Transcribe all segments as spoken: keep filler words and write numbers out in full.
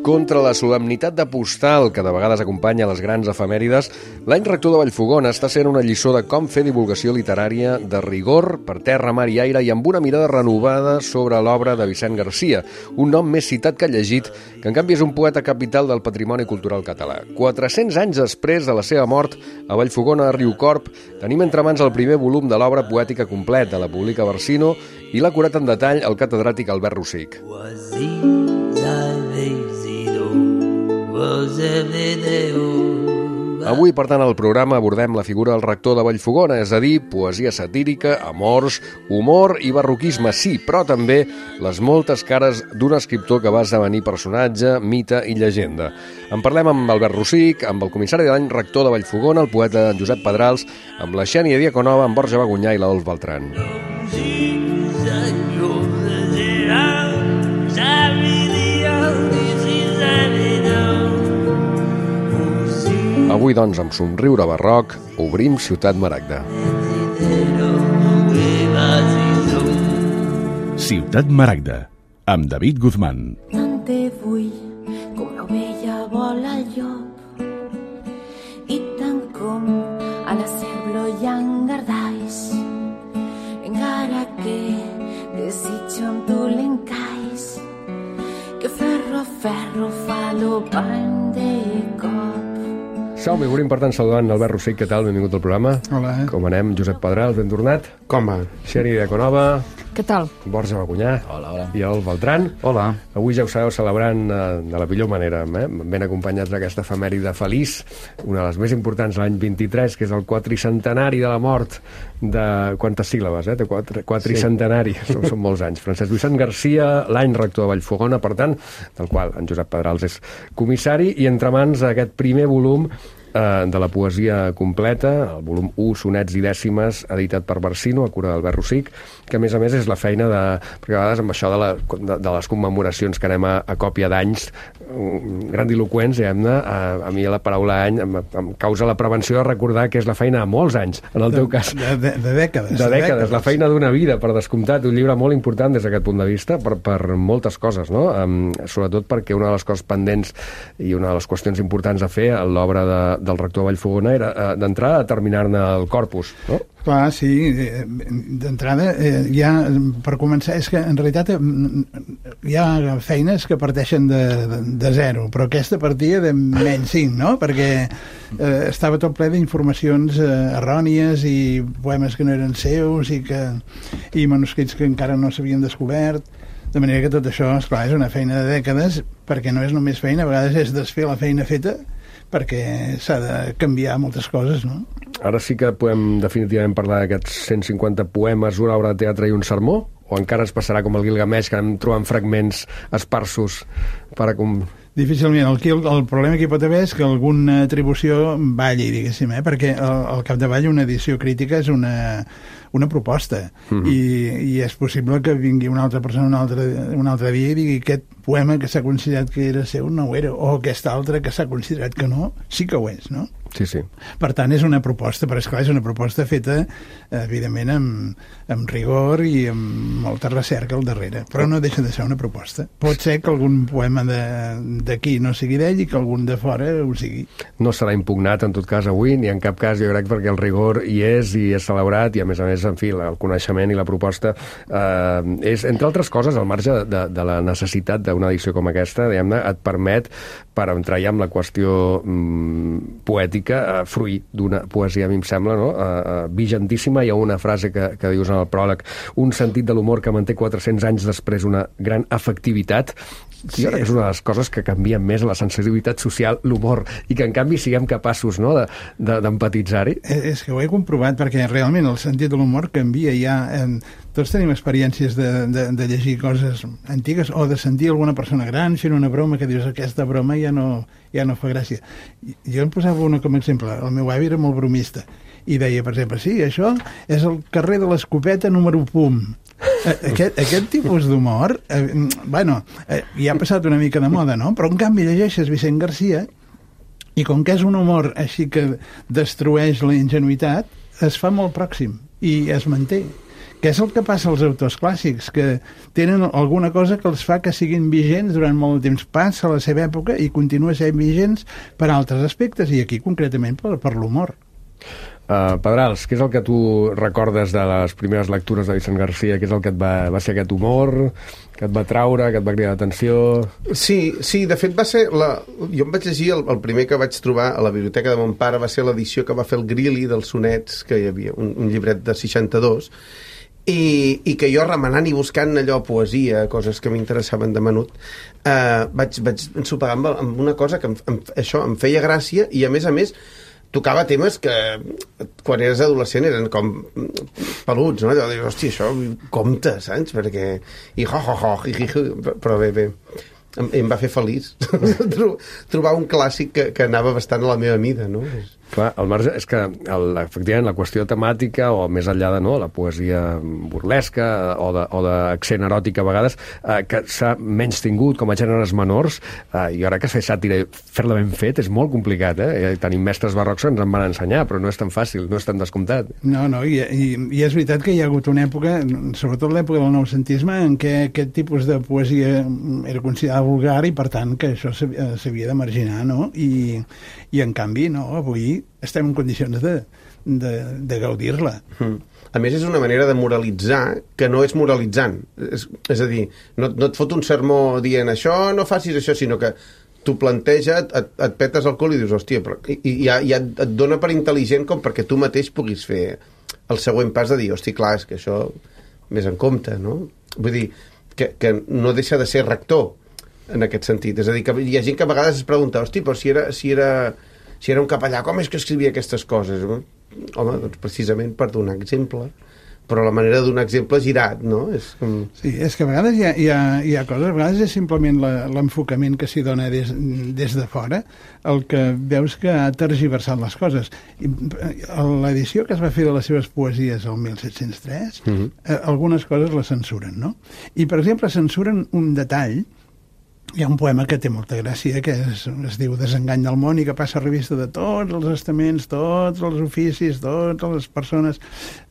Contra la solemnitat de postal que de vegades acompanya les grans efemèrides, l'any rector de Vallfogona està sent una lliçó de com fer divulgació literària de rigor, per terra, mar i aire, i amb una mirada renovada sobre l'obra de Vicent Garcia, un nom més citat que llegit, que en canvi és un poeta capital del patrimoni cultural català. quatre-cents anys després de la seva mort, a Vallfogona, a Riucorb, tenim entre mans el primer volum de l'obra poètica completa, la publica Barsino, i l'ha curat en detall el catedràtic Albert Rosic. Avui, per tant, al programa abordem la figura del rector de Vallfogona, és a dir, poesia satírica, amors, humor i barroquisme, sí, però també les moltes cares d'un escriptor que va esdevenir personatge, mite i llegenda. En parlem amb Albert Rosic, amb el comissari de l'any rector de Vallfogona, el poeta Josep Pedrals, amb la Xènia Diaconova, amb Borja Bagunyà i l'Adolf Beltrán. Avui, doncs, amb somriure barroc, obrim Ciutat Maragda. Ciutat Maragda, amb David Guzmán. Tant te vull com l'ovella vol el llop, i tant com a la cerblo i engardais, encara que desitjo amb tu l'encais, que ferro a ferro fa l'opany de cop. Som-hi, volem per tant saludant Albert Rosic, què tal? Benvingut al programa. Hola. Com anem? Josep Pedrals, ben tornat. Com va? Xènia Diaconova. Què tal? Borja Bagunyà. Hola, hola. I el Beltrán. Hola. Avui ja ho sabeu, celebrant eh, de la millor manera, eh? Ben acompanyats d'aquesta efemèride feliç, una de les més importants l'any vint-i-tres, que és el quatricentenari de la mort de... Quantes síl·labes, eh? De quatre, quatricentenari, sí. són, són molts anys. Francesc Vicent Garcia, l'any rector de Vallfogona, per tant, del qual en Josep Pedrals és comissari, i entre mans aquest primer volum de la poesia completa, el volum u, sonets i dècimes, editat per Barsino, a cura d'Albert Rosic, que a més a més és la feina de... perquè a vegades amb això de, la, de, de les commemoracions que anem a, a còpia d'anys, grandiloquents, diguem-ne, a, a mi la paraula any em, em causa la prevenció de recordar que és la feina de molts anys, en el teu cas. De, de, de dècades. De dècades, la feina d'una vida, per descomptat, un llibre molt important des d'aquest punt de vista, per, per moltes coses, no? Um, sobretot perquè una de les coses pendents i una de les qüestions importants a fer a l'obra de del rector de Vallfogona era eh, d'entrada a terminar-ne el corpus, no? Clar, sí, d'entrada eh, ja, per començar, és que en realitat eh, hi ha feines que parteixen de, de, de zero, però aquesta partia de menys cinc, no? Perquè eh, estava tot ple d'informacions eh, errònies i poemes que no eren seus i, que, i manuscrits que encara no s'havien descobert, de manera que tot això, esclar, és una feina de dècades, perquè no és només feina, a vegades és desfer la feina feta, perquè s'ha de canviar moltes coses, no? Ara sí que podem definitivament parlar d'aquests cent cinquanta poemes, una obra de teatre i un sermó? O encara ens passarà com el Gilgamesh, que anem trobant fragments esparsos per a... Com... Difícilment. El, el, el problema que hi pot haver és que alguna atribució balli, diguéssim, eh? Perquè al, al capdavall una edició crítica és una, una proposta, mm-hmm. I, i és possible que vingui una altra persona un altre, un altre dia i digui aquest poema que s'ha considerat que era seu no ho era, o aquest altre que s'ha considerat que no, sí que ho és, no? Sí, sí. Per tant, és una proposta, però esclar, és una proposta feta, evidentment, amb, amb rigor i amb molta recerca al darrere, però no deixa de ser una proposta. Pot ser que algun poema d'aquí no sigui d'ell i que algun de fora ho sigui. No serà impugnat, en tot cas, avui, ni en cap cas, jo crec, perquè el rigor hi és i és celebrat, i a més a més, en fi, el coneixement i la proposta eh, és, entre altres coses, al marge de, de la necessitat d'una edició com aquesta, diguem-ne, et permet, per entrar ja amb la qüestió mm, poètica, Uh, fruit d'una poesia, a mi em sembla, no? uh, uh, vigentíssima. Hi ha una frase que, que dius en el pròleg, un sentit de l'humor que manté quatre-cents anys després una gran efectivitat. Sí. Jo crec que és una de les coses que canvien més la sensibilitat social, l'humor, i que en canvi siguem capaços, no?, d'empatitzar-hi. De, de, és que ho he comprovat, perquè realment el sentit de l'humor canvia ja. En... Tots tenim experiències de, de, de llegir coses antigues o de sentir alguna persona gran fent una broma que dius aquesta broma ja no, ja no fa gràcia. Jo em posava una com a exemple. El meu avi era molt bromista i deia, per exemple, sí, això és el carrer de l'Escopeta número pum. Aquest, aquest tipus d'humor, eh, bueno, eh, ja ha passat una mica de moda, no? Però en canvi llegeixes Vicent Garcia i com que és un humor així que destrueix la ingenuïtat, es fa molt pròxim i es manté. que és el que passa als autors clàssics, que tenen alguna cosa que els fa que siguin vigents durant molt de temps. Passa la seva època i continua sent vigents per altres aspectes, i aquí concretament per, per l'humor. Uh, Pedrals, què és el que tu recordes de les primeres lectures de Vicent García? Què és el que et va, va ser aquest humor, que et va traure, que et va cridar l'atenció? Sí, sí, de fet va ser... La... Jo em vaig llegir, el, el primer que vaig trobar a la biblioteca de mon pare va ser l'edició que va fer el Grilli dels sonets, que hi havia, un, un llibret de seixanta-dos, i, i que jo remenant i buscant allò, poesia, coses que m'interessaven de menut, eh, vaig, vaig ensopegar amb, amb una cosa que em, em, això em feia gràcia, i a més a més tocava temes que quan eres adolescent eren com peluts, no? Allò de dir, hòstia, això compte, saps? Perquè... I ho, ho, ho, hi, hi, hi. Però bé, bé, em, em va fer feliç trobar un clàssic que, que anava bastant a la meva mida, no? Clar, el marge és que, el, efectivament, la qüestió temàtica, o més enllà de no, la poesia burlesca o d'accent eròtic a vegades, eh, que s'ha menys tingut com a gèneres menors, eh, i ara que fer sàtira i fer-la ben fet és molt complicat, eh? Tenim mestres barrocs que ens en van ensenyar, però no és tan fàcil, no és tan descomptat. No, no, i, i, i és veritat que hi ha hagut una època, sobretot l'època del noucentisme, en què aquest tipus de poesia era considerada vulgar i, per tant, que això s'havia de marginar, no? I, i en canvi, no, avui estem en condicions de, de, de gaudir-la. Mm. A més, és una manera de moralitzar que no és moralitzant. És, és a dir, no, no et fot un sermó dient això, no facis això, sinó que tu planteja, et, et petes el cul i dius, hòstia, però, i, i ja, ja et dona per intel·ligent com perquè tu mateix puguis fer el següent pas de dir, hòstia, clar, és que això més en compte, no? Vull dir, que, que no deixa de ser rector en aquest sentit. És a dir, que hi ha gent que a vegades es pregunta, hòstia, però si era... Si era si era un capellà, com és que escrivia aquestes coses? Home, doncs precisament per donar exemple, però la manera de donar exemple girat, no? És com... Sí, és que a vegades hi ha, hi ha, hi ha coses, a vegades és simplement l'enfocament que s'hi dona des, des de fora, el que veus que ha tergiversat les coses. L'edició que es va fer de les seves poesies el mil set-cents tres, uh-huh. eh, algunes coses les censuren, no? I, per exemple, censuren un detall. Hi ha un poema que té molta gràcia, que es, es diu Desengany del món, i que passa a revista de tots els estaments, tots els oficis, totes les persones,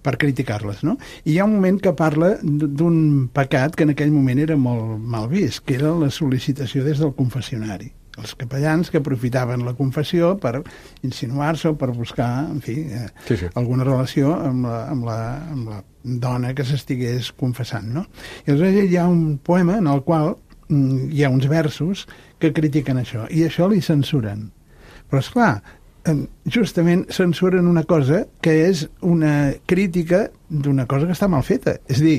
per criticar-les, no? I hi ha un moment que parla d'un pecat que en aquell moment era molt mal vist, que era la sol·licitació des del confessionari. Els capellans que aprofitaven la confessió per insinuar-se o per buscar, en fi, eh, sí, sí. alguna relació amb la, amb, la, amb la dona que s'estigués confessant, no? I aleshores hi ha un poema en el qual hi ha uns versos que critiquen això, i això li censuren. Però, esclar, justament censuren una cosa que és una crítica d'una cosa que està mal feta. És a dir,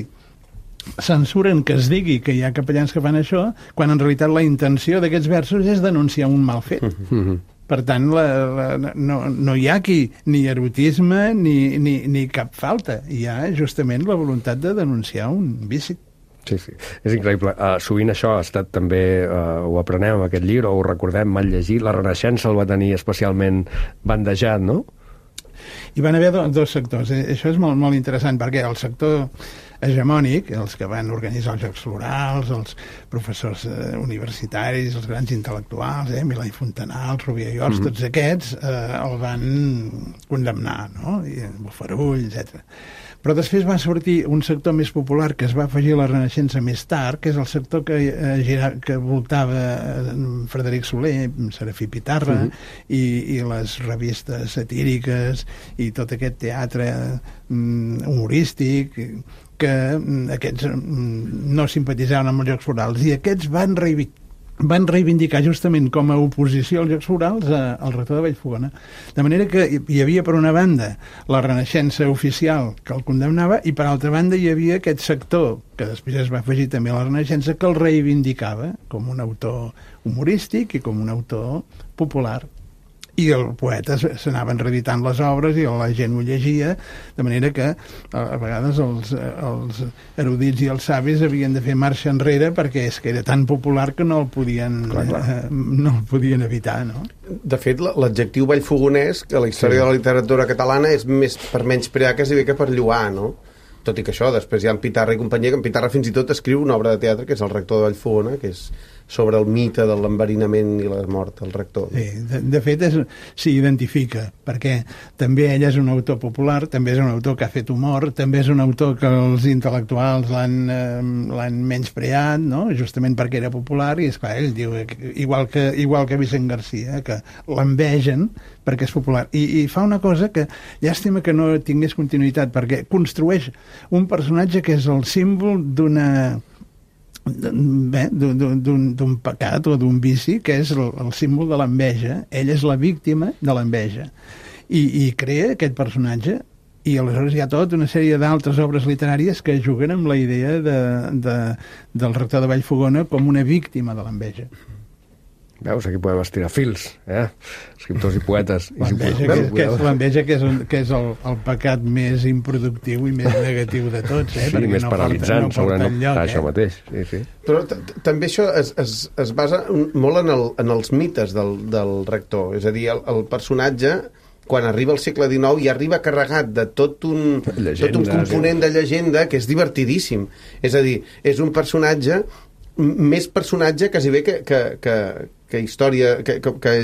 censuren que es digui que hi ha capellans que fan això, quan en realitat la intenció d'aquests versos és denunciar un mal fet. Mm-hmm. Per tant, la, la, no, no hi ha aquí ni erotisme ni, ni, ni cap falta. Hi ha justament la voluntat de denunciar un vici. Sí, sí, és increïble. Uh, sovint això ha estat també, uh, ho aprenem amb aquest llibre, o ho recordem mal llegir, la Renaixença el va tenir especialment bandejat, no? Hi van haver do, dos sectors. Eh? Això és molt, molt interessant, perquè el sector hegemònic, els que van organitzar els Jocs Florals, els professors eh, universitaris, els grans intel·lectuals, eh, Milà i Fontanals, Rovira i Ors, mm-hmm. tots aquests eh, el van condemnar, no? I Bofarull, etcètera. Però després va sortir un sector més popular que es va afegir a la Renaixença més tard, que és el sector que, eh, gira, que voltava Frederic Soler, Serafí Pitarra, uh-huh. i, i les revistes satíriques i tot aquest teatre mm, humorístic, que mm, aquests mm, no simpatitzaven amb els Jocs Florals, i aquests van reivindicar van reivindicar justament com a oposició als Jocs Florals al rector de Vallfogona. De manera que hi havia, per una banda, la Renaixença oficial que el condemnava, i per altra banda hi havia aquest sector, que després es va afegir també a la Renaixença, que el reivindicava com un autor humorístic i com un autor popular. I el poeta s'anaven reeditant les obres i la gent ho llegia, de manera que a vegades els, els erudits i els savis havien de fer marxa enrere perquè és que era tan popular que no el podien, clar, clar. Eh, no el podien evitar, no? De fet, l'adjectiu vallfogonès, que a la història sí. de la literatura catalana és més per menysprear quasi bé que per lloar, no? Tot i que això, després hi ha en Pitarra i companyia, que en Pitarra fins i tot escriu una obra de teatre, que és El rector de Vallfogona, que és sobre el mite de l'enverinament i la mort del rector. Sí, de, de fet s'hi identifica, perquè també ell és un autor popular, també és un autor que ha fet humor, també és un autor que els intel·lectuals l'han eh, l'han menyspreat, no? Justament perquè era popular, i esclar, ell diu, igual que, igual que Vicent Garcia, que l'envegen perquè és popular. I, I fa una cosa que llàstima que no tingués continuïtat, perquè construeix un personatge que és el símbol d'una d'un pecat o d'un vici, que és el, el símbol de l'enveja. Ell és la víctima de l'enveja i, i crea aquest personatge, i aleshores hi ha tota una sèrie d'altres obres literàries que juguen amb la idea de, de, del rector de Vallfogona com una víctima de l'enveja. Veus, aquí podem estirar fils, eh? Escriptors i poetes. L'enveja, que, que és, l'enveja que és, un, que és el, el pecat més improductiu i més negatiu de tots, eh? Sí, més no paralitzant, porta, no porta enlloc, això eh? mateix. Sí, sí. Però també això es, es, es basa molt en, el, en els mites del, del rector. És a dir, el, el personatge, quan arriba al segle dinou, i arriba carregat de tot un, llegenda, tot un component sí. de llegenda que és divertidíssim. És a dir, és un personatge, més personatge quasi bé que, que, que, que història, que, que, que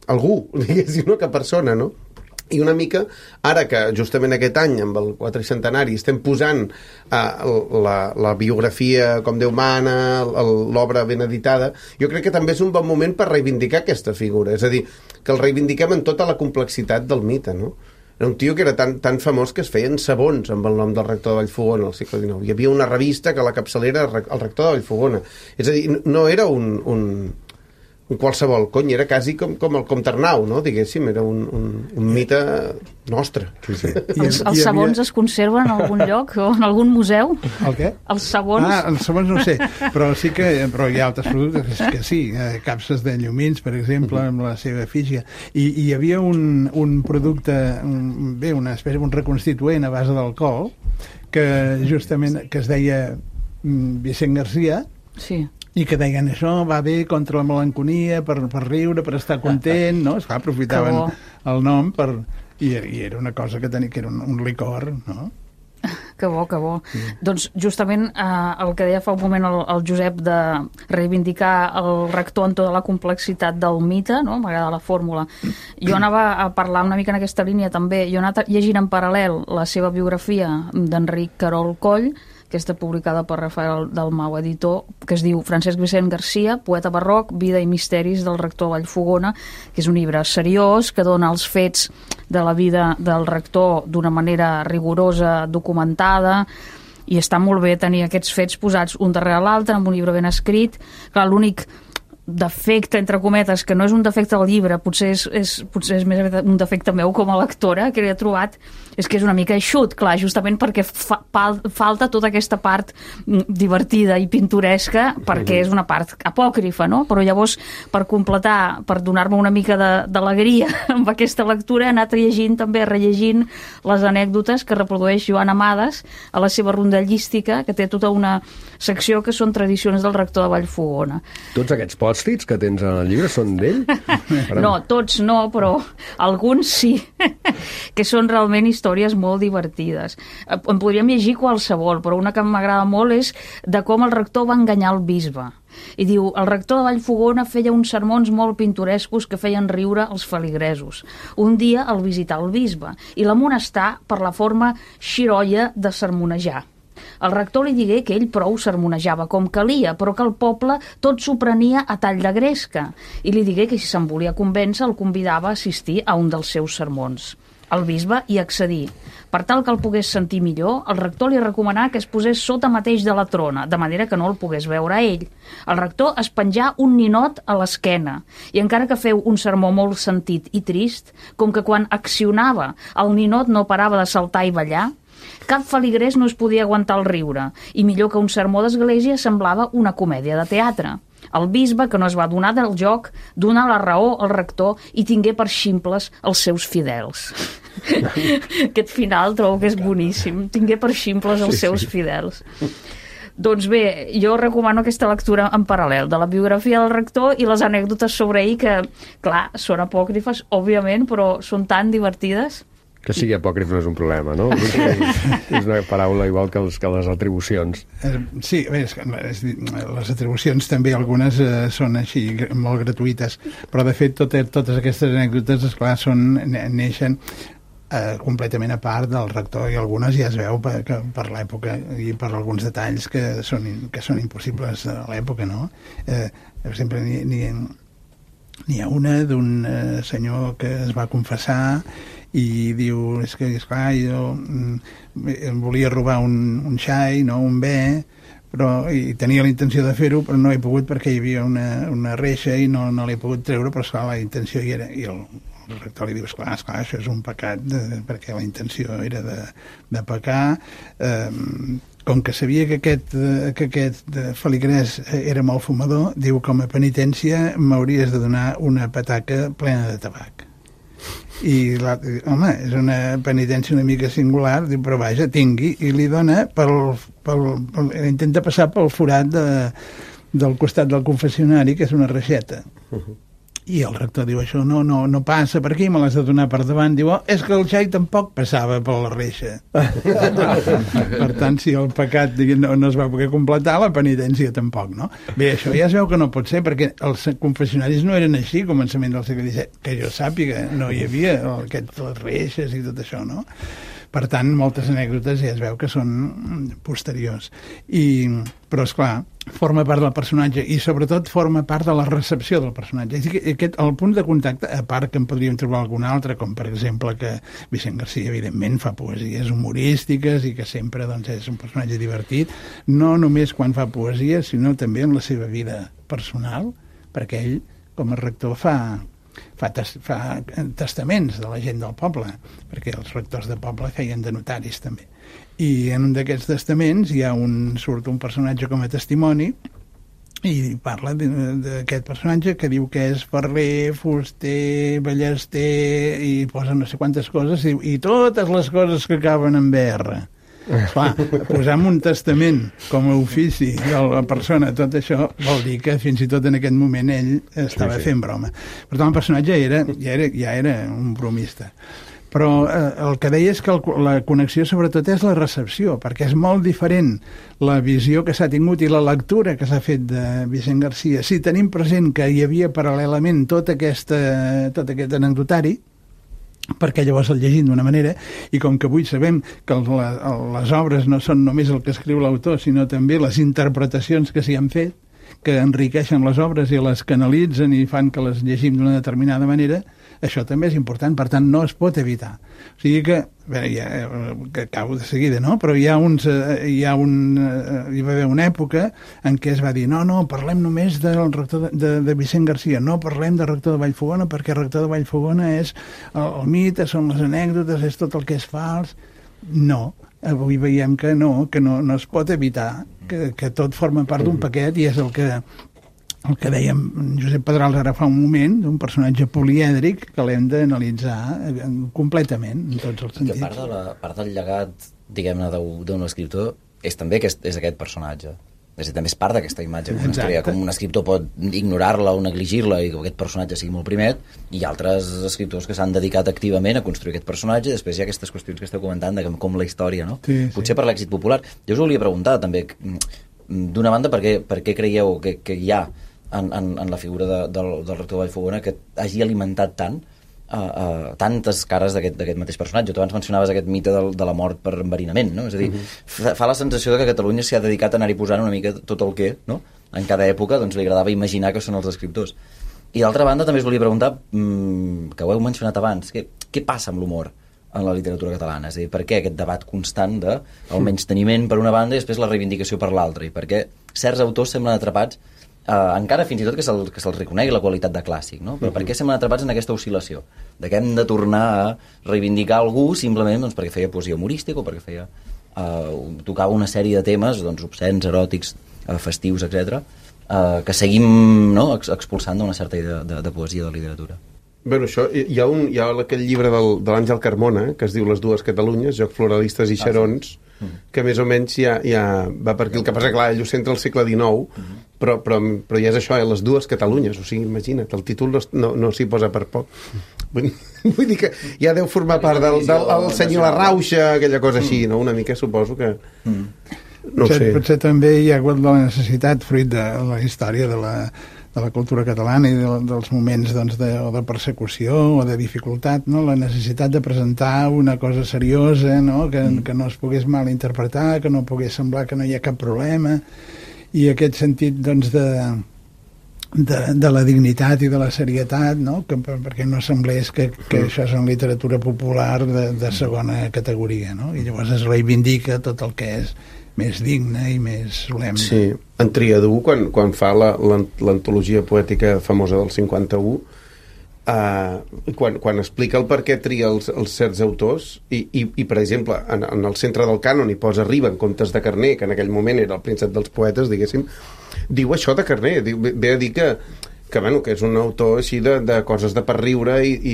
algú, diguéssim, no? Que persona, no? I una mica, ara que justament aquest any, amb el quatricentenari, estem posant uh, la, la biografia com Déu mana, l'obra ben editada, jo crec que també és un bon moment per reivindicar aquesta figura, és a dir, que el reivindiquem en tota la complexitat del mite, no? Era un tio que era tan, tan famós que es feien sabons amb el nom del rector de Vallfogona al segle dinou. Hi havia una revista que a la capçalera era el rector de Vallfogona. És a dir, no era un... un un qualsevol, cony, era quasi com, com el Comte Arnau, no? Diguéssim, era un, un, un mite nostre. Sí, sí. Els, els sabons havia... es conserven en algun lloc o en algun museu? El què? Els sabons? Ah, els sabons no sé, però sí que però hi ha altres productes que, que sí, eh, capses de llumins, per exemple, amb la seva efígie. I, i hi havia un, un producte, un, bé, una espècie, un reconstituent a base d'alcohol, que justament, que es deia Vicent Garcia, sí. I que deien això va bé contra la melanconia, per, per riure, per estar content, no? Esclar, aprofitaven el nom per... I, i era una cosa que tenia, que era un, un licor, no? Que bo, que bo. Sí. Doncs justament eh, el que deia fa un moment el, el Josep de reivindicar el rector en tota la complexitat del mite, no? M'agrada la fórmula. Jo anava a parlar una mica en aquesta línia també. Jo he anat llegint en paral·lel la seva biografia d'Enric Querol Coll, que està publicada per Rafael Dalmau, editor, que es diu Francesc Vicent Garcia, poeta barroc, vida i misteris del rector Vallfogona, que és un llibre seriós, que dona els fets de la vida del rector d'una manera rigorosa, documentada, i està molt bé tenir aquests fets posats un darrere l'altre, amb un llibre ben escrit. Clar, l'únic defecte, entre cometes, que no és un defecte del llibre, potser és, és, potser és més un defecte meu com a lectora, que l'he trobat, és que és una mica eixut, clar, justament perquè fa, falta tota aquesta part divertida i pintoresca, perquè és una part apòcrifa, no? Però llavors, per completar, per donar-me una mica d'alegria amb aquesta lectura, he anat llegint, també rellegint les anècdotes que reprodueix Joan Amades a la seva rondallística, que té tota una secció que són tradicions del rector de Vallfogona. Tots aquests pòstits que tens en el llibre són d'ell? No, tots no, però alguns sí, que són realment històries molt divertides. En podríem llegir qualsevol, però una que m'agrada molt és de com el rector va enganyar el bisbe. I diu, el rector de Vallfogona feia uns sermons molt pintorescos que feien riure els feligresos. Un dia el visità el bisbe i l'amonestà per la forma xirolla de sermonejar. El rector li digué que ell prou sermonejava com calia, però que el poble tot s'ho prenia a tall de gresca, i li digué que si se'n volia convèncer el convidava a assistir a un dels seus sermons. El bisbe hi accedí. Per tal que el pogués sentir millor, el rector li recomanà que es posés sota mateix de la trona, de manera que no el pogués veure a ell. El rector es penjà un ninot a l'esquena, i encara que feu un sermó molt sentit i trist, com que quan accionava el ninot no parava de saltar i ballar, cap feligrès no es podia aguantar el riure, i millor que un sermó d'església semblava una comèdia de teatre. El bisbe, que no es va donar del joc, donà la raó al rector i tingué per ximples els seus fidels. Aquest final trobo que és boníssim. Tingué per ximples els seus fidels. Doncs bé, jo recomano aquesta lectura en paral·lel, de la biografia del rector i les anècdotes sobre ell, que, clar, són apòcrifes, òbviament, però són tan divertides. Que sigui apòcrif no és un problema, no? És una paraula igual que, els, que les atribucions. Sí, bé, és, és, les atribucions també algunes eh, són així molt gratuïtes, però de fet totes, totes aquestes anècdotes, esclar, són, neixen eh, completament a part del rector, i algunes ja es veu per, que, per l'època i per alguns detalls que són, que són impossibles a l'època, no? Eh, sempre n'hi, n'hi, n'hi ha una d'un eh, senyor que es va confessar i diu, és que, esclar, jo mm, volia robar un, un xai, no, un bé, però, i tenia la intenció de fer-ho, però no he pogut perquè hi havia una, una reixa i no, no l'he pogut treure, però esclar, la intenció hi era. I el, el rector li diu, esclar, esclar, això és un pecat, de, perquè la intenció era de, de pecar. Eh, com que sabia que aquest, que aquest feligrès era molt fumador, diu, com a penitència m'hauries de donar una pataca plena de tabac. I, la, home, és una penitència una mica singular, diu, però vaja, tingui, i li dona pel, pel, pel, intenta passar pel forat de, del costat del confessionari, que és una reixeta. Uh-huh. I el rector diu, això no, no, no passa per aquí, me l'has de donar per davant. Diu, oh, és que el xai tampoc passava per la reixa. Per tant, si el pecat no, no es va poder completar, la penitència tampoc, no? Bé, això ja es veu que no pot ser, perquè els confessionaris no eren així, a començament del segle disset, que jo sàpiga, no hi havia aquestes les reixes i tot això, no? Per tant, moltes anècdotes ja es veu que són posteriors. I, però, esclar, forma part del personatge i, sobretot, forma part de la recepció del personatge. És a dir, aquest, el punt de contacte, a part que en podríem trobar algun altre, com, per exemple, que Vicent Garcia, evidentment, fa poesies humorístiques i que sempre doncs, és un personatge divertit, no només quan fa poesia, sinó també en la seva vida personal, perquè ell, com a rector, fa... Fa, tes, fa testaments de la gent del poble, perquè els rectors de poble feien de notaris també. I en un d'aquests testaments hi ha un, surt un personatge com a testimoni i parla d'aquest personatge que diu que és ferrer, fuster, ballester, i posa no sé quantes coses, i, i totes les coses que acaben en B R. Clar, posar un testament com a ofici de la persona, tot això vol dir que fins i tot en aquest moment ell estava sí, sí. fent broma. Per tant, el personatge era, ja, era, ja era un bromista. Però eh, el que deia és que el, la connexió sobretot és la recepció, perquè és molt diferent la visió que s'ha tingut i la lectura que s'ha fet de Vicent Garcia. Si tenim present que hi havia paral·lelament tot, aquesta, tot aquest anecdotari, perquè llavors el llegim d'una manera, i com que avui sabem que la, les obres no són només el que escriu l'autor, sinó també les interpretacions que s'hi han fet, que enriqueixen les obres i les canalitzen i fan que les llegim d'una determinada manera, això també és important, per tant no es pot evitar. O sigui que, bé, ja, que acabo de seguida, no? Però hi ha uns, hi ha un, hi va haver una època en què es va dir, no, no, parlem només del rector de, de, de Vicent Garcia, no parlem del rector de Vallfogona, perquè el rector de Vallfogona és el, el mite, són les anècdotes, és tot el que és fals. No, avui veiem que no, que no, no es pot evitar, que, que tot forma part d'un paquet, i és el que el que dèiem Josep Pedrals ara fa un moment, d'un personatge polièdric que l'hem d'analitzar completament, en tots els sentits. Que part, de la, part del llegat, diguem-ne, d'un escriptor és també aquest, és aquest personatge. És a dir, també és part d'aquesta imatge que es crea, com un escriptor pot ignorar-la o negligir-la i que aquest personatge sigui molt primet, i altres escriptors que s'han dedicat activament a construir aquest personatge, i després hi ha aquestes qüestions que esteu comentant de com la història, no? Sí, potser sí. Per l'èxit popular. Jo us volia preguntar també, d'una banda, per què, per què creieu que, que hi ha En, en, en la figura de, del, del rector de Vallfogona que hagi alimentat tant uh, uh, tantes cares d'aquest mateix personatge. Tu abans mencionaves aquest mite del, de la mort per enverinament, no? És a dir, uh-huh. fa, fa la sensació de que Catalunya s'hi ha dedicat a anar-hi posant una mica tot el que, no? En cada època doncs, li agradava imaginar que són els escriptors. I d'altra banda també us volia preguntar, mmm, que ho heu mencionat abans, què, què passa amb l'humor en la literatura catalana? És a dir, per què aquest debat constant del menysteniment per una banda i després la reivindicació per l'altra? I per què certs autors semblen atrapats Uh, encara fins i tot que se'ls se reconegui la qualitat de clàssic, no? Però uh-huh. per què semblen atrapats en aquesta oscil·lació? De què hem de tornar a reivindicar algú simplement doncs, perquè feia poesia humorística o perquè feia uh, tocava una sèrie de temes doncs, obscens, eròtics, uh, festius, etcètera, uh, que seguim no, ex expulsant d'una certa idea de, de poesia de literatura. Bueno, això, hi ha, un, hi ha aquell llibre del, de l'Àngel Carmona, que es diu Les dues Catalunyes, Jocs Floralistes i Xarons, ah, sí. que més o menys ja, ja va per aquí. El que passa, clar, ell ho centra al segle dinou, uh-huh. però, però, però ja és això, eh, les dues Catalunyes, o sigui, imagina't, el títol no, no, no s'hi posa per poc. Vull, vull dir que ja deu formar part del, del, del senyor La Rauxa, aquella cosa així, no? Una mica suposo que... Mm. No potser, sé. Potser també hi ha hagut la necessitat, fruit de la història de la, de la cultura catalana i de, dels moments doncs, de, o de persecució o de dificultat, no? La necessitat de presentar una cosa seriosa, no? Que, mm. que no es pogués malinterpretar, que no pogués semblar que no hi ha cap problema, i aquest sentit doncs, de, de, de la dignitat i de la serietat, no? Que, perquè no semblés que, que això és una literatura popular de, de segona categoria, no? I llavors es reivindica tot el que és més digne i més solemne. Sí, en Triadú, quan, quan fa l'antologia poètica famosa del cinquanta-u, eh, quan, quan explica el per què tria els, els certs autors, i, i, i per exemple, en, en el centre del cànon hi posa Riba en comptes de Carner, que en aquell moment era el príncep dels poetes, diguéssim, diu això de Carner, diu, ve a dir que que, bueno, que és un autor així de, de coses de per riure i, i,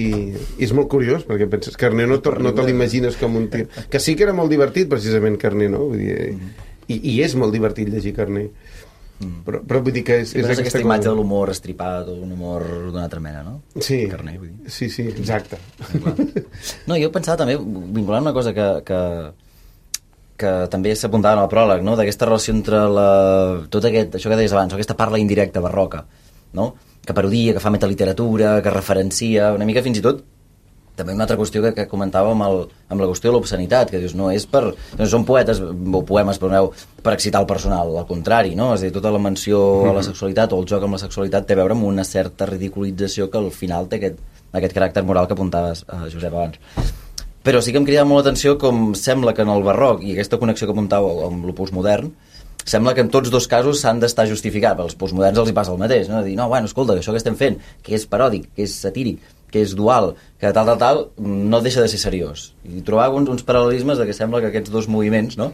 i és molt curiós perquè penses que Carner no, no te l'imagines com un tio, que sí que era molt divertit precisament Carner, no? Vull dir, mm. i, i és molt divertit llegir Carner, mm. però, però vull dir que és, sí, és aquesta, aquesta imatge cosa... de l'humor estripat o un humor d'una altra mena, no? Sí, Carner, vull dir. sí, sí, exacte. No, jo pensava també, vinculant una cosa que, que, que també s'apuntava en el pròleg, no? D'aquesta relació entre la, tot aquest, això que deies abans, aquesta parla indirecta barroca, no? Que parodia, que fa metaliteratura, que referencia, una mica fins i tot també una altra qüestió que, que comentava amb, el, amb la qüestió de l'obscenitat, que dius, no és per... No són poetes o poemes, perdoneu, per excitar el personal, al contrari, no? És a dir, tota la menció a la sexualitat o el joc amb la sexualitat té a veure amb una certa ridiculització que al final té aquest, aquest caràcter moral que apuntaves, uh, Josep, abans. Però sí que em cridava molt l'atenció com sembla que en el barroc, i aquesta connexió que apuntàveu amb el postmodern, sembla que en tots dos casos s'han d'estar justificats, però als postmoderns els hi passa el mateix, no? De dir, no, bueno, escolta, que això que estem fent, que és paròdic, que és satíric, que és dual, que tal, tal, tal, no deixa de ser seriós. I trobar uns, uns paral·lelismes de que sembla que aquests dos moviments, no?,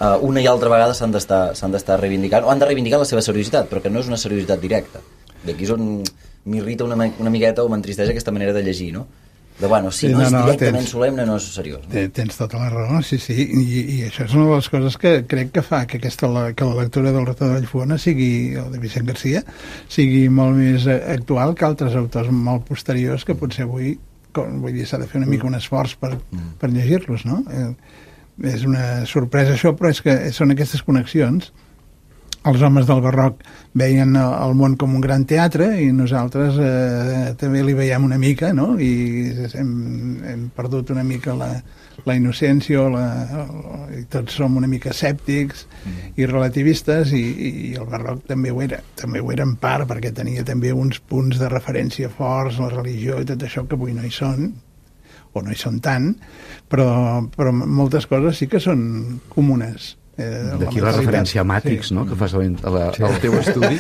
uh, una i altra vegada s'han d'estar s'han d'estar reivindicant, o han de reivindicar la seva seriositat, però que no és una seriositat directa. D'aquí és on m'irrita una, una miqueta o m'entristeix aquesta manera de llegir, no? De, bueno, si sí, no, no és directament tens, solemne, no és seriós. No? Tens tota la raó, sí, sí, i, i això és una de les coses que crec que fa que, aquesta, la, que la lectura del Rector de Vallfogona sigui, o de Vicent Garcia, sigui molt més actual que altres autors molt posteriors que potser avui, com, vull dir, s'ha de fer una mica un esforç per, per llegir-los, no? Eh, és una sorpresa això, però és que són aquestes connexions. Els homes del barroc veien el món com un gran teatre i nosaltres eh, també li veiem una mica, no? I hem, hem perdut una mica la, la innocència la, i tots som una mica escèptics mm. i relativistes i, i el barroc també ho era, també ho era en part perquè tenia també uns punts de referència forts, la religió i tot això que avui no hi són o no hi són tant, però, però moltes coses sí que són comunes. Eh, D'aquí la, la referència a Matrix, sí. No?, que fas a la, sí. al teu estudi.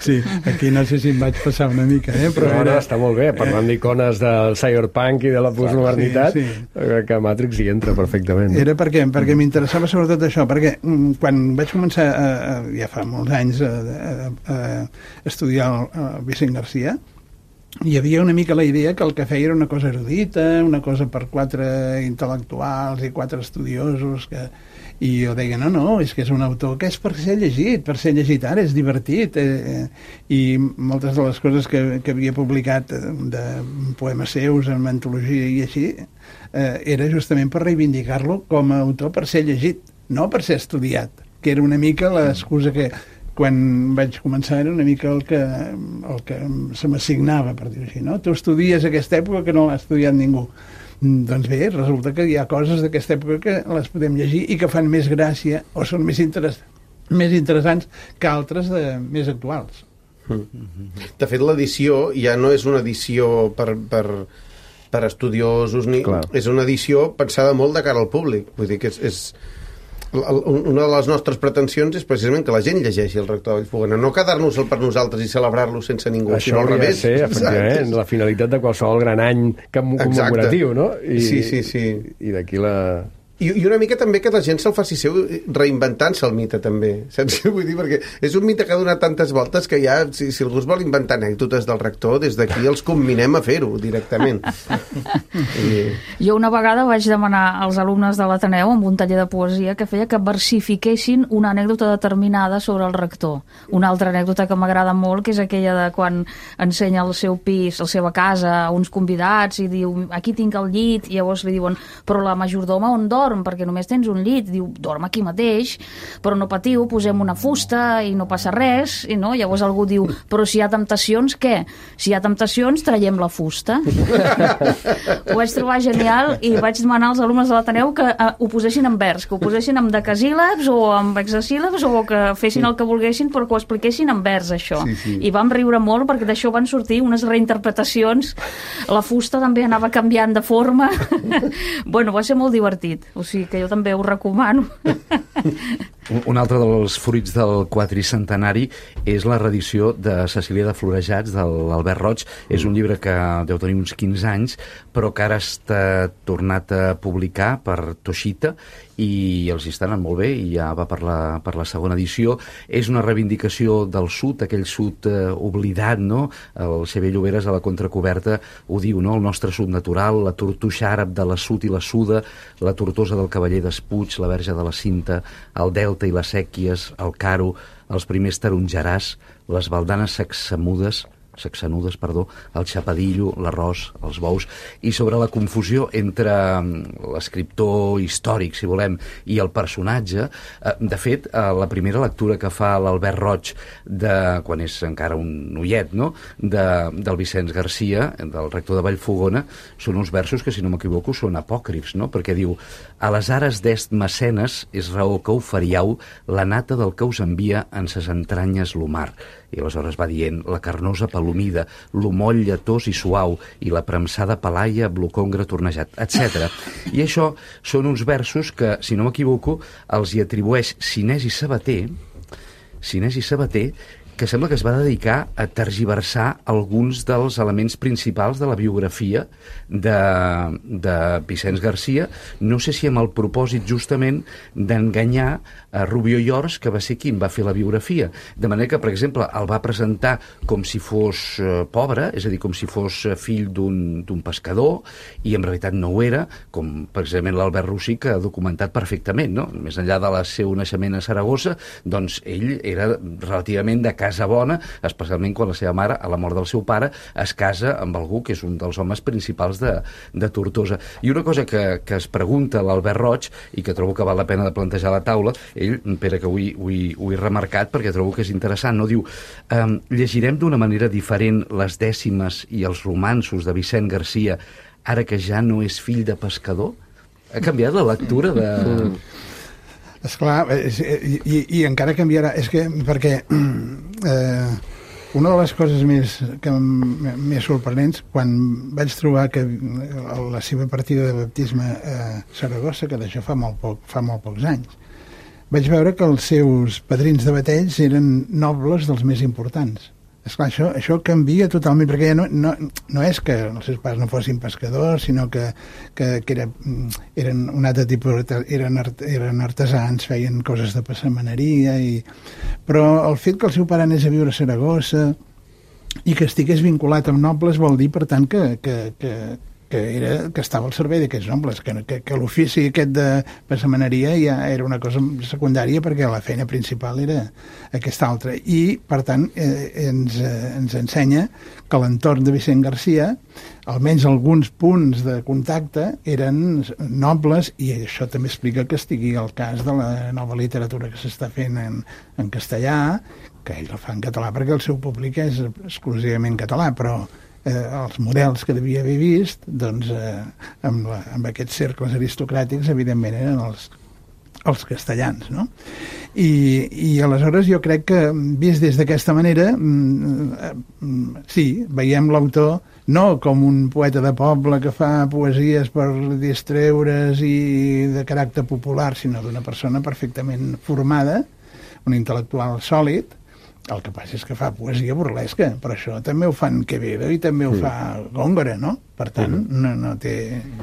Sí, aquí no sé si em vaig passar una mica, eh? Però no, era... no, està molt bé, parlant eh... d'Icones del cyberpunk i de la postmodernitat, sí, sí. Que Matrix hi entra perfectament. Era perquè, perquè m'interessava sobretot això, perquè quan vaig començar, a, a, ja fa molts anys, a, a, a estudiar el, el Vicent Garcia, hi havia una mica la idea que el que feia era una cosa erudita, una cosa per quatre intel·lectuals i quatre estudiosos que... i jo deia, no, no, és que és un autor que és per ser llegit, per ser llegit ara, és divertit, eh, i moltes de les coses que, que havia publicat de poemes seus en antologia i així, eh, era justament per reivindicar-lo com a autor per ser llegit, no per ser estudiat, que era una mica l'excusa que quan vaig començar era una mica el que, el que se m'assignava, per dir-ho així, no? Tu estudies aquesta època que no l'ha estudiat ningú. Doncs bé, resulta que hi ha coses d'aquesta època que les podem llegir i que fan més gràcia o són més, interess més interessants que altres de, més actuals. De fet, l'edició ja no és una edició per, per, per estudiosos, ni Clar. És una edició pensada molt de cara al públic. Vull dir que és... és una de les nostres pretensions és precisament que la gent llegeixi el Rector de Vallfogona, no quedar-nos-el per nosaltres i celebrar-lo sense ningú, això sinó al revés. Ser, efectivament, la finalitat de qualsevol gran any commemoratiu, no? I, sí, sí, sí. I d'aquí la... I, I una mica també que la gent se'l faci seu reinventant-se el mite, també. Saps què vull dir? Perquè és un mite que ha donat tantes voltes que ja, si, si algú es vol inventar anècdotes del rector, des d'aquí els comminem a fer-ho directament. I... Jo una vegada vaig demanar als alumnes de l'Ateneu, amb un taller de poesia, que feia que versifiquessin una anècdota determinada sobre el rector. Una altra anècdota que m'agrada molt, que és aquella de quan ensenya el seu pis, la seva casa, a uns convidats, i diu, aquí tinc el llit, i llavors li diuen, però la majordoma on dorm? Perquè només tens un llit. Diu, dorm aquí mateix, però no patiu, posem una fusta i no passa res, i no? Llavors algú diu, però si hi ha temptacions, què? Si hi ha temptacions, traiem la fusta. Ho vaig trobar genial i vaig demanar als alumnes de l'Ateneu que uh, ho posessin en vers, que ho posessin amb decasíl·labs o amb hexasíl·labs, o que fessin el que volguessin, però que ho expliquessin en vers, això. Sí, sí. I vam riure molt perquè d'això van sortir unes reinterpretacions. La fusta també anava canviant de forma. Bueno, va ser molt divertit. O sigui que jo també ho recomano. Un altre dels fruits del quadricentenari és la reedició de Cecília de Florejats, de l'Albert Roig. És un llibre que deu tenir uns quinze anys, però que ara està tornat a publicar per Toshita i els hi està anant molt bé i ja va per la, per la segona edició. És una reivindicació del sud, aquell sud eh, oblidat, no? El Xavier Lloberes a la contracoberta ho diu, no? El nostre sud natural, la tortuixa àrab de la Sud i la Suda, la tortosa del Cavaller d'Espuig, la Verge de la Cinta, el Delta i les Sèquies, el Caro, els primers tarongerars, les baldanes saxamudes, saxanudes, perdó, el xapadillo, l'arròs, els bous, i sobre la confusió entre l'escriptor històric, si volem, i el personatge. De fet, la primera lectura que fa l'Albert Roig, de, quan és encara un noiet, no?, de, del Vicenç Garcia, del rector de Vallfogona, són uns versos que, si no m'equivoco, són apòcrifs, no?, perquè diu: a les ares d'est mecenes és raó que oferiau la nata del que us envia en ses entranyes l'Omar. I aleshores va dient la carnosa palomida, l'homoll lletós i suau, i la premsada palaia amb l'ocongre tornejat, etcètera. I això són uns versos que, si no m'equivoco, els hi atribueix Sinès i Sabater, Sinès i Sabater, que sembla que es va dedicar a tergiversar alguns dels elements principals de la biografia de, de Vicenç Garcia, no sé si amb el propòsit justament d'enganyar a Rubió i Ors, que va ser qui en va fer la biografia. De manera que, per exemple, el va presentar com si fos eh, pobre, és a dir, com si fos fill d'un d'un pescador, i en realitat no ho era, com precisament l'Albert Rosich ha documentat perfectament, no? Més enllà del seu naixement a Saragossa, doncs ell era relativament de casa bona, especialment quan la seva mare, a la mort del seu pare, es casa amb algú que és un dels homes principals de, de Tortosa. I una cosa que, que es pregunta l'Albert Roig, i que trobo que val la pena de plantejar a la taula, ell, Pere, que ho he, ho he, ho he remarcat perquè trobo que és interessant, no? Diu, um, llegirem d'una manera diferent les dècimes i els romanços de Vicent Garcia ara que ja no és fill de pescador? Ha canviat la lectura de... Esclar, i, i, i encara canviarà, és que, perquè eh, una de les coses més, que més sorprenents, quan vaig trobar que la seva partida de baptisme a Saragossa, que d'això fa molt poc, fa molt pocs anys, vaig veure que els seus padrins de bateig eren nobles dels més importants. Esclar, això, això canvia totalment, perquè ja no, no, no és que els seus pares no fossin pescadors, sinó que, que, que era, eren un altre tipus, eren, art, eren artesans, feien coses de passamaneria, i... però el fet que el seu pare anés a viure a Saragossa i que estigués vinculat amb nobles vol dir, per tant, que, que, que, que, era, que estava al servei d'aquests nobles, que, que, que l'ofici aquest de passamaneria ja era una cosa secundària perquè la feina principal era aquesta altra. I, per tant, eh, ens, eh, ens ensenya que l'entorn de Vicent Garcia, almenys alguns punts de contacte, eren nobles, i això també explica que estigui el cas de la nova literatura que s'està fent en, en castellà, que ell el fa en català perquè el seu públic és exclusivament català, però eh, els models que devia haver vist, doncs, eh, amb, la, amb aquests cercles aristocràtics, evidentment eren els, els castellans, no? I, i aleshores jo crec que, vist des d'aquesta manera, mm, sí, veiem l'autor no com un poeta de poble que fa poesies per distreure's i de caràcter popular, sinó d'una persona perfectament formada, un intel·lectual sòlid. El que passa és que fa poesia burlesca, però això també ho fan Quevedo i també ho fa Góngora, no? Per tant, no, no, té,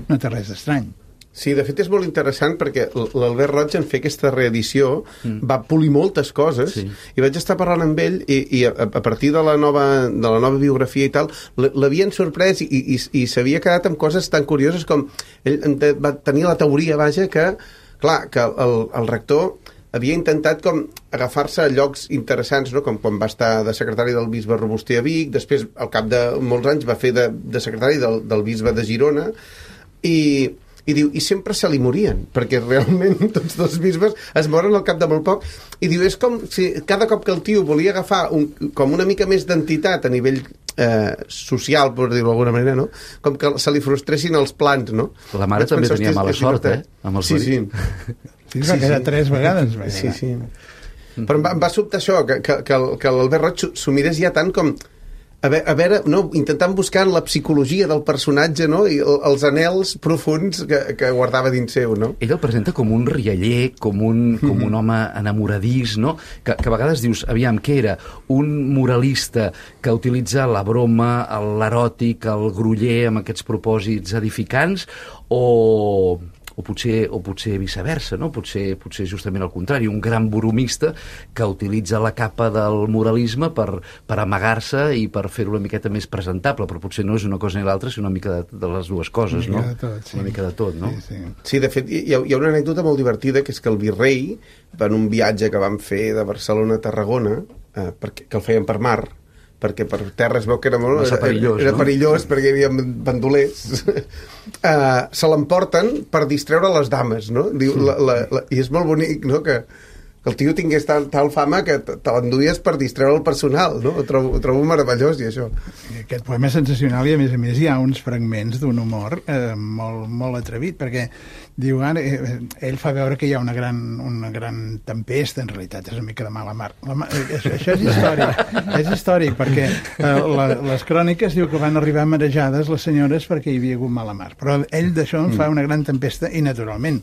no té res d'estrany. Sí, de fet és molt interessant perquè l'Albert Roig en fer aquesta reedició mm. va polir moltes coses sí. i vaig estar parlant amb ell i, i a, a partir de la, nova, de la nova biografia i tal, l'havien sorprès i, i, i s'havia quedat amb coses tan curioses com ell va tenir la teoria, vaja, que clar, que el, el rector havia intentat com agafar-se a llocs interessants, no? Com quan va estar de secretari del bisbe Robuster a Vic, després al cap de molts anys va fer de, de secretari del, del bisbe de Girona i i diu, i sempre se li morien, perquè realment tots dos bisbes es moren al cap de molt poc, i diu, és com si cada cop que el tio volia agafar un, com una mica més d'entitat a nivell eh, social, per dir-ho d'alguna manera, no? Com que se li frustressin els plans, no? La mare també tenia mala sort, eh? Amb els sí, sí. Sí, va quedar tres vegades. Sí, sí. Però em va, em va sobtar això, que, que, que l'Albert Roig s'ho mirés ja tant com a veure, a veure no, intentant buscar la psicologia del personatge, no? I els anhels profunds que, que guardava dins seu, no? Ell el presenta com un rialler, com un, com un home enamoradís, no? Que, que a vegades dius, aviam, què era? Un moralista que utilitza la broma, l'eròtic, el groller amb aquests propòsits edificants, o... o potser, o potser viceversa, no? Potser, potser justament al contrari, un gran bromista que utilitza la capa del moralisme per, per amagar-se i per fer-ho una miqueta més presentable, però potser no és una cosa ni l'altra, sinó una mica de, de les dues coses, no? Una mica de tot, sí. Una mica de tot, no? Sí, sí. Sí, de fet, hi ha, hi ha una anècdota molt divertida, que és que el virrei, en un viatge que vam fer de Barcelona a Tarragona, eh, perquè, que el feien per mar, perquè per terra es veu que era molt era, perillós, era no? perillós perquè hi havia bandolers uh, se l'emporten per distreure les dames, no? Diu, la, la, la, i és molt bonic, no? que, que el tio tingués tal, tal fama que te l'enduies per distreure el personal, no? Ho trobo, ho trobo meravellós, i això. Aquest poema és sensacional i a més a més hi ha uns fragments d'un humor eh, molt, molt atrevit, perquè diu, ara, eh, ell fa veure que hi ha una gran, una gran tempesta, en realitat és una mica de mala mar. La, eh, això, això és històric, és històric, perquè eh, la, les cròniques diu que van arribar marejades les senyores perquè hi havia hagut mala mar, però ell d'això en fa una gran tempesta i naturalment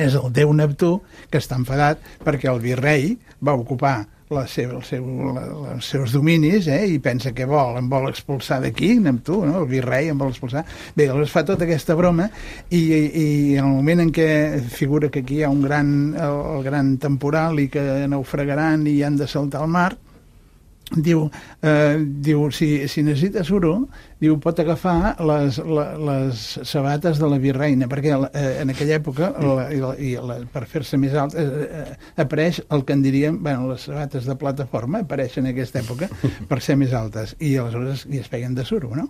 és el déu Neptú que està enfadat perquè el virrei va ocupar la seva, el seu, la, els seus dominis, eh, i pensa que vol, em vol expulsar d'aquí, Neptú, no? El virrei em vol expulsar. Bé, aleshores fa tota aquesta broma i, i, i en el moment en què figura que aquí hi ha un gran, el, el gran temporal i que naufragaran i han de saltar al mar, diu, eh, diu si, si necessita suro, diu, pot agafar les, les, les sabates de la virreina, perquè eh, en aquella època la, i la, i la, per fer-se més alt eh, eh, apareix el que en diríem, bueno, les sabates de plataforma apareixen en aquesta època per ser més altes, i aleshores i es peguen de suro, no?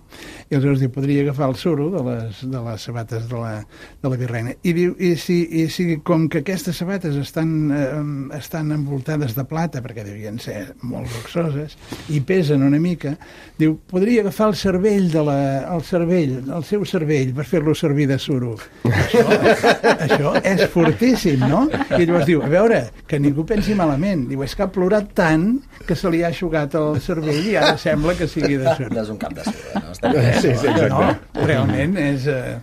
I aleshores diu, podria agafar el suro de les, de les sabates de la, de la virreina, i diu, i si, i si com que aquestes sabates estan, eh, estan envoltades de plata, perquè devien ser molt luxoses i pesen una mica, diu, podria agafar el cervell de la, el cervell, el seu cervell, per fer-lo servir de suro. Això, això és fortíssim, no? I llavors diu, a veure, que ningú pensi malament. Diu, és que ha plorat tant que se li ha aixugat el cervell i ara sembla que sigui de suro. No és un cap de suro, no? Està bé, sí, sí, no, realment és... Eh,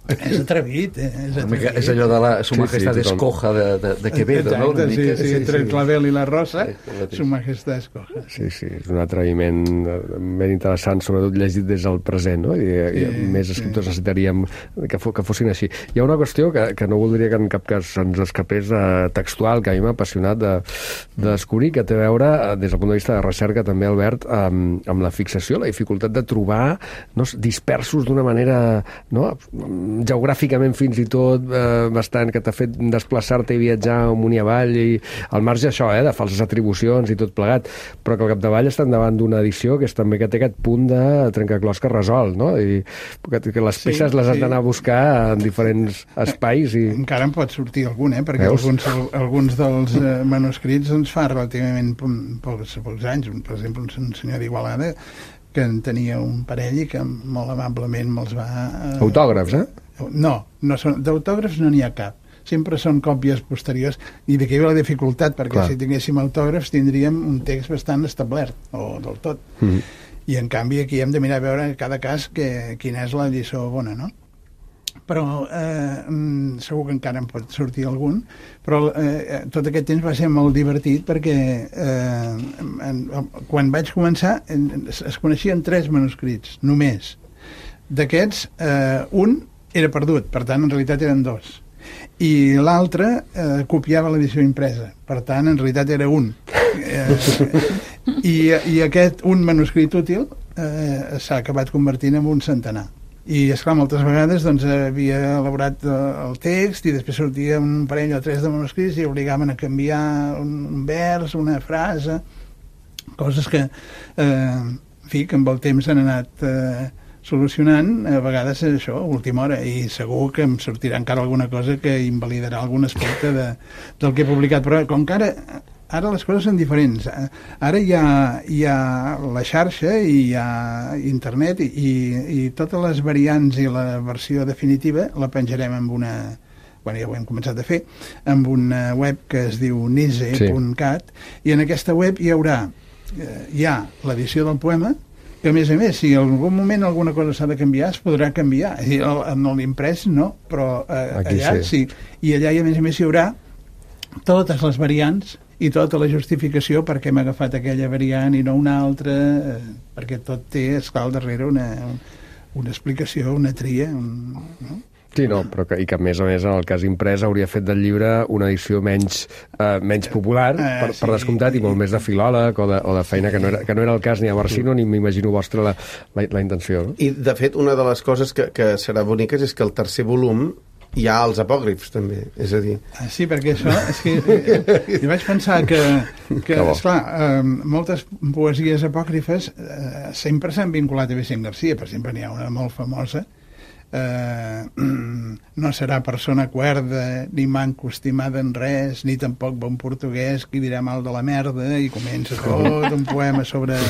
és atrevit, eh? És, atrevit. És allò de la Su Majestad sí, sí, Escoja de, de, de Quevedo, exacte, no? Una sí, mica, sí, sí, entre sí, el clavel i la rosa, sí, Su Majestad Escoja. Sí, sí, és un atreviment ben interessant, sobretot llegit des del present, no? I, sí, i més escriptors sí. necessitaríem que, fo, que fossin així. Hi ha una qüestió que, que no voldria que en cap cas ens escapés eh, textual, que a mi m'ha apassionat de, de descobrir, que té a veure, eh, des del punt de vista de recerca també, Albert, amb, amb la fixació, la dificultat de trobar no, dispersos d'una manera no, geogràficament fins i tot eh, bastant, que t'ha fet desplaçar-te i viatjar amunt i avall, i al marge això, eh, de falses atribucions i tot plegat, però que al capdavall estan davant d'una edició que és també que té aquest punt de trencaclòs que resol, no? I que, que les peces sí, les has sí. d'anar a buscar en diferents espais i... Encara en pot sortir algun, eh? Perquè Veus? alguns, alguns dels eh, manuscrits doncs fa relativament pocs, pocs anys, per exemple un senyor d'Igualada que en tenia un parell i que molt amablement me'ls va... Eh... Autògrafs, eh? No, no són, d'autògrafs no n'hi ha cap. Sempre són còpies posteriors i d'aquí ve la dificultat, perquè Clar. si tinguéssim autògrafs tindríem un text bastant establert, o del tot. Mm-hmm. I en canvi aquí hem de mirar a veure en cada cas que, quina és la lliçó bona, no? Però eh, segur que encara en pot sortir algun, però eh, tot aquest temps va ser molt divertit perquè eh, en, quan vaig començar en, es coneixien tres manuscrits, només. D'aquests, eh, un era perdut, per tant, en realitat eren dos. I l'altre eh, copiava l'edició impresa, per tant, en realitat era un. Eh, i, I aquest un manuscrit útil eh, s'ha acabat convertint en un centenar. I, esclar, moltes vegades doncs, havia elaborat el text i després sortia un parell o tres de manuscrits i obligaven a canviar un, un vers, una frase, coses que, eh, en fi, que amb el temps han anat eh, solucionant, a vegades és això, a última hora, i segur que em sortirà encara alguna cosa que invalidarà algun aspecte de, del que he publicat, però com que ara, ara les coses són diferents, ara hi ha, hi ha la xarxa i hi ha internet i, i totes les variants i la versió definitiva la penjarem amb una, bueno, ja ho hem començat a fer, amb una web que es diu nise punt cat, sí. I en aquesta web hi haurà eh, hi ha l'edició del poema, que a més a més, si en algun moment alguna cosa s'ha de canviar, es podrà canviar. En l'imprès no, però eh, allà sí. sí. I allà, i a més a més, hi haurà totes les variants i tota la justificació per què m'ha agafat aquella variant i no una altra, eh, perquè tot té, esclar, al darrere una, una explicació, una tria, un, no? Sí, no, però que, i que a més a més en el cas imprès hauria fet del llibre una edició menys, eh, menys popular, eh, per, sí, per descomptat, i molt més de filòleg o de, o de feina, que no, era, que no era el cas ni a Barsino ni m'imagino vostra la, la, la intenció. No? I de fet una de les coses que, que serà boniques és que el tercer volum hi ha els apòcrifs també, és a dir... Ah, sí, perquè això és que eh, jo vaig pensar que, que esclar, eh, moltes poesies apòcrifes eh, sempre s'han vinculat a Vicent Garcia, per exemple n'hi ha una molt famosa, eh, no serà persona cuerda ni manco estimada en res ni tampoc bon portuguès qui dirà mal de la merda, i comença tot un poema sobre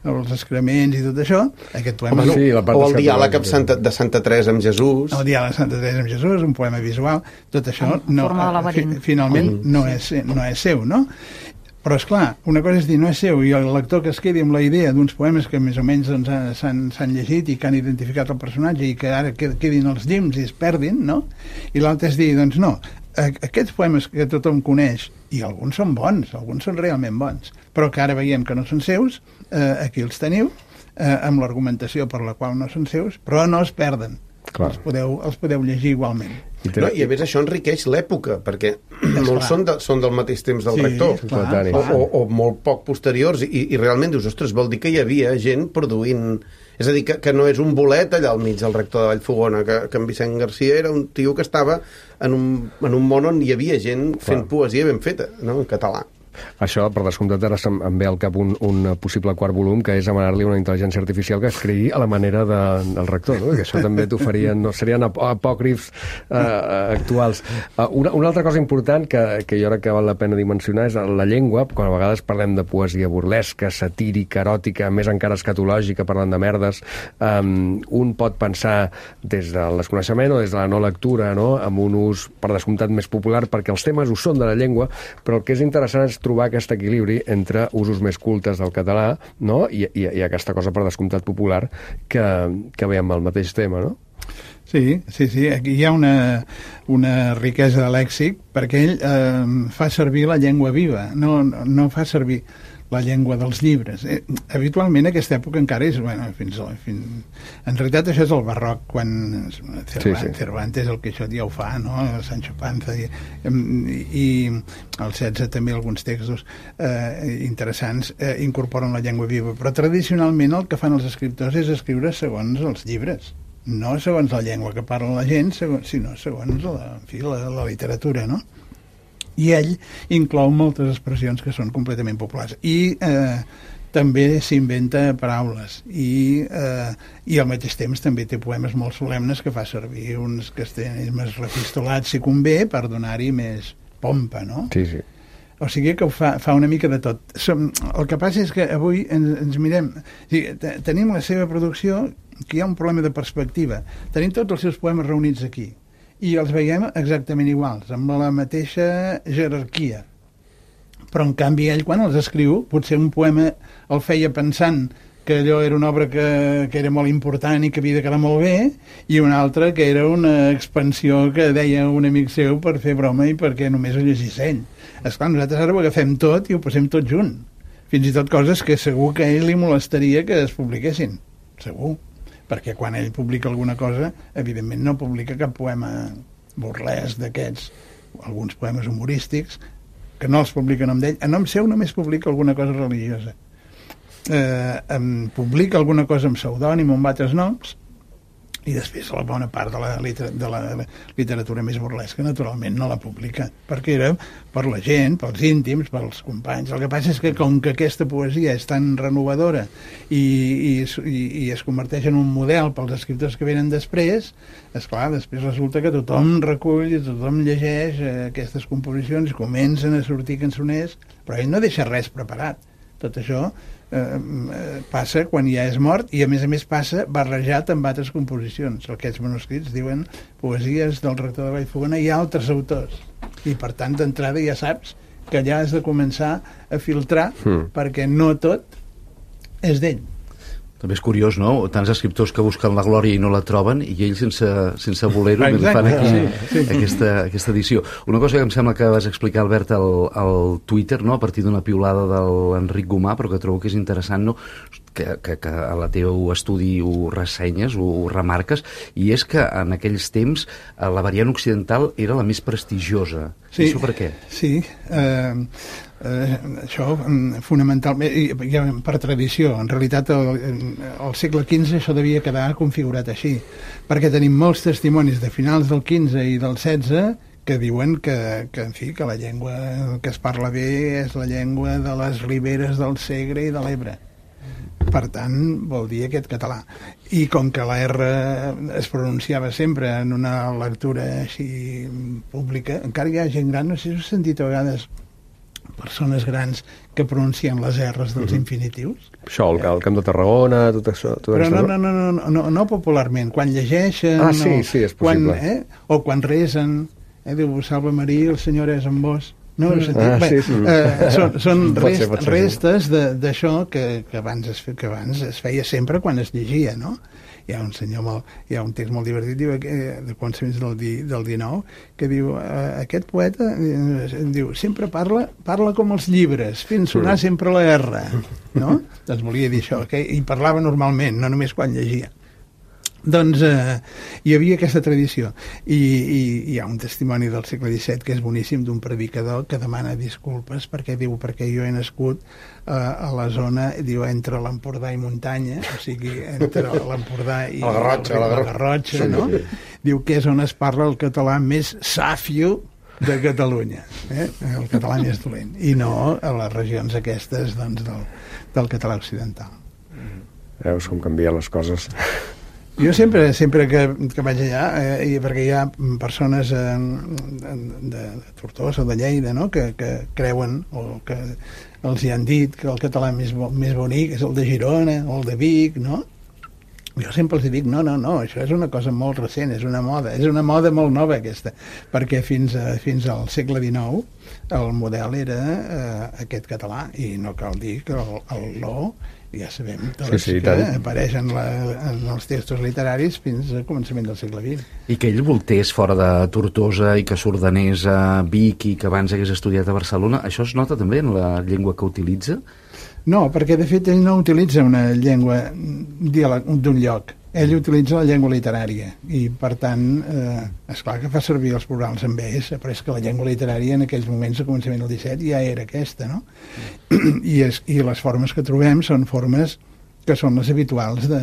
els excrements i tot això. Aquest poema, Home, sí, la part o el diàleg amb Santa, de Santa Teresa amb Jesús, el diàleg de Santa Teresa amb Jesús, un poema visual, tot això no, fi, finalment no és, no és seu, no? Però, esclar, una cosa és dir no és seu i el lector que es quedi amb la idea d'uns poemes que més o menys doncs, s'han llegit i que han identificat el personatge i que ara quedin els llims i es perdin, no? I l'altre és dir, doncs no, aquests poemes que tothom coneix, i alguns són bons, alguns són realment bons, però que ara veiem que no són seus, eh, aquí els teniu, eh, amb l'argumentació per la qual no són seus, però no es perden. Els podeu, els podeu llegir igualment. I, no, I a més això enriqueix l'època, perquè molts són, de, són del mateix temps del sí, rector, clar, o, o, o molt poc posteriors, i, i realment dius, ostres, vol dir que hi havia gent produint... És a dir, que, que no és un bolet allà al mig del rector de Vallfogona, que, que en Vicent Garcia era un tio que estava en un, en un món on hi havia gent fent clar. Poesia ben feta, no?, en català. Això, per descomptat, ara em ve al cap un, un possible quart volum, que és demanar-li una intel·ligència artificial que escrigui a la manera de, del rector, no? Que això també t'oferien, no, serien ap apòcrifs eh, actuals. Uh, una, una altra cosa important que, que jo crec que val la pena dimensionar és la llengua, quan a vegades parlem de poesia burlesca, satírica, eròtica, més encara escatològica, parlant de merdes, um, un pot pensar des del desconeixement o des de la no lectura, no?, amb un ús, per descomptat, més popular, perquè els temes ho són de la llengua, però el que és interessant és trobar aquest equilibri entre usos més cultes del català, no?, I, i, i aquesta cosa per descomptat popular que, que veiem al mateix tema, no? Sí, sí, sí. Aquí hi ha una, una riquesa de lèxic perquè ell eh, fa servir la llengua viva, no, no fa servir la llengua dels llibres. Eh, habitualment aquesta època encara és, bueno, fins, fins... En realitat això és el barroc, quan Cervantes, sí, sí. Cervantes el Quixot ja ho fa, no?, Sancho Panza, i, i el setze també alguns textos eh, interessants eh, incorporen la llengua viva, però tradicionalment el que fan els escriptors és escriure segons els llibres, no segons la llengua que parla la gent, segons, sinó segons la, en fi, la, la literatura, no? I ell inclou moltes expressions que són completament populars i eh, també s'inventa paraules i, eh, i al mateix temps també té poemes molt solemnes que fa servir uns castellanismes refistolats si convé per donar-hi més pompa, no? Sí, sí. O sigui que ho fa, fa una mica de tot. Som, el que passa és que avui ens, ens mirem, o sigui, tenim la seva producció, que hi ha un problema de perspectiva, tenim tots els seus poemes reunits aquí i els veiem exactament iguals, amb la mateixa jerarquia. Però, en canvi, ell, quan els escriu, potser un poema el feia pensant que allò era una obra que, que era molt important i que havia de quedar molt bé, i una altra que era una expansió que deia un amic seu per fer broma i perquè només ho llegís ell. Esclar, nosaltres ara ho agafem tot i ho posem tot junt. Fins i tot coses que segur que a ell li molestaria que es publiquessin. Segur. perquè quan ell publica alguna cosa, evidentment no publica cap poema burlesc d'aquests, alguns poemes humorístics, que no els publica en nom d'ell. En nom seu només publica alguna cosa religiosa. Eh, em publica alguna cosa amb pseudònim o amb altres noms, i després la bona part de la, liter de la literatura més burlesca naturalment no la publica, perquè era per la gent, pels íntims, pels companys. El que passa és que com que aquesta poesia és tan renovadora i, i, i, i es converteix en un model pels escriptors que venen després, esclar, després resulta que tothom recull, tothom llegeix eh, aquestes composicions, comencen a sortir cançoners, però ell no deixa res preparat. Tot això eh, passa quan ja és mort, i a més a més passa barrejat amb altres composicions. Aquests manuscrits diuen poesies del rector de Vallfogona i altres autors, i per tant d'entrada ja saps que ja has de començar a filtrar, mm. perquè no tot és d'ell. També és curiós, no? Tants escriptors que busquen la glòria i no la troben, i ells sense, sense voler-ho fan aquí sí, sí. Aquesta, aquesta edició. Una cosa que em sembla que vas explicar, Albert, al, al Twitter, no? A partir d'una piulada de l'Enric Gomà, però que trobo que és interessant, no? Que, que, que a la teu estudi ho ressenyes, ho, ho remarques, i és que en aquells temps la variant occidental era la més prestigiosa. Sí, això per què? Sí, eh, eh, això fonamentalment, ja, per tradició. En realitat al, al segle quinze això devia quedar configurat així, perquè tenim molts testimonis de finals del quinze i del setze que diuen que, que, en fi, que la llengua que es parla bé és la llengua de les riberes del Segre i de l'Ebre. Per tant, vol dir aquest català. I com que la R es pronunciava sempre en una lectura així pública, encara hi ha gent gran, no sé si us he sentit a vegades persones grans que pronuncien les R's dels infinitius. Això, el, el Camp de Tarragona, tot això... Tot Però això, no, no, no, no, no, no popularment, quan llegeixen... Ah, sí, o, sí, és possible. Quan, eh, o quan resen, eh, diu, Salve Maria, el Senyor és amb vos... No, ah, Bé, sí, sí. Eh, són, són rest, ser, ser, restes d'això que, que, abans es, que abans es feia sempre quan es llegia, no? Hi ha un senyor molt, hi ha un text molt divertit diu, eh, de començaments del, di, del dinou que diu, eh, aquest poeta eh, diu, sempre parla parla com els llibres, fent sonar sempre la R, no? Doncs volia dir això, que i parlava normalment, no només quan llegia. Doncs eh, hi havia aquesta tradició, i, i hi ha un testimoni del segle disset que és boníssim, d'un predicador que demana disculpes perquè diu, perquè jo he nascut eh, a la zona, diu, entre l'Empordà i muntanya, o sigui, entre l'Empordà i la Garrotxa, la Garrotxa, no? Diu que és on es parla el català més sàfio de Catalunya, eh? El català més dolent, i no a les regions aquestes, doncs, del, del català occidental. Veus com canvien les coses. Jo sempre, sempre que, que vaig allà, eh, i perquè hi ha persones eh, de, de Tortosa o de Lleida, no?, que, que creuen o que els hi han dit que el català més, bo, més bonic és el de Girona o el de Vic, no? Jo sempre els dic, no, no, no, això és una cosa molt recent, és una moda, és una moda molt nova aquesta, perquè fins, a, fins al segle dinou el model era eh, aquest català, i no cal dir que el, el lo ja sabem tots sí, sí, que apareix en, la, en els textos literaris fins al començament del segle vint. I que ell voltés fora de Tortosa i que s'ordenés a Vic i que abans hagués estudiat a Barcelona, això es nota també en la llengua que utilitza? No, perquè de fet ell no utilitza una llengua d'un lloc, ell utilitza la llengua literària, i per tant, eh, esclar que fa servir els plurals amb es, però és que la llengua literària en aquells moments, a començament del disset, ja era aquesta, no? I, és, i les formes que trobem són formes que són les habituals de,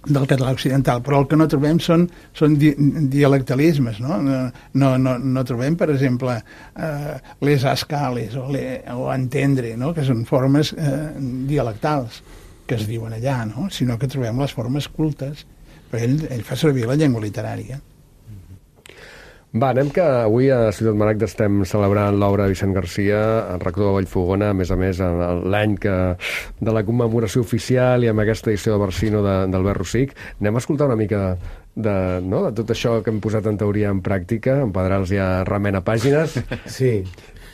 del català occidental, però el que no trobem són, són di, dialectalismes, no? No, no, no, no trobem, per exemple, eh, les ascales o, le, o entendre, no?, que són formes eh, dialectals que es diuen allà, no?, sinó que trobem les formes cultes, però ell, ell fa servir la llengua literària. Va, anem que avui a Ciutat Maragda estem celebrant l'obra de Vicent Garcia, el rector de Vallfogona, a més a més l'any que de la commemoració oficial i amb aquesta edició de Barsino d'Albert Rosic. Anem a escoltar una mica de, no, de tot això que hem posat en teoria en pràctica. En Pedrals ja remena pàgines. Sí.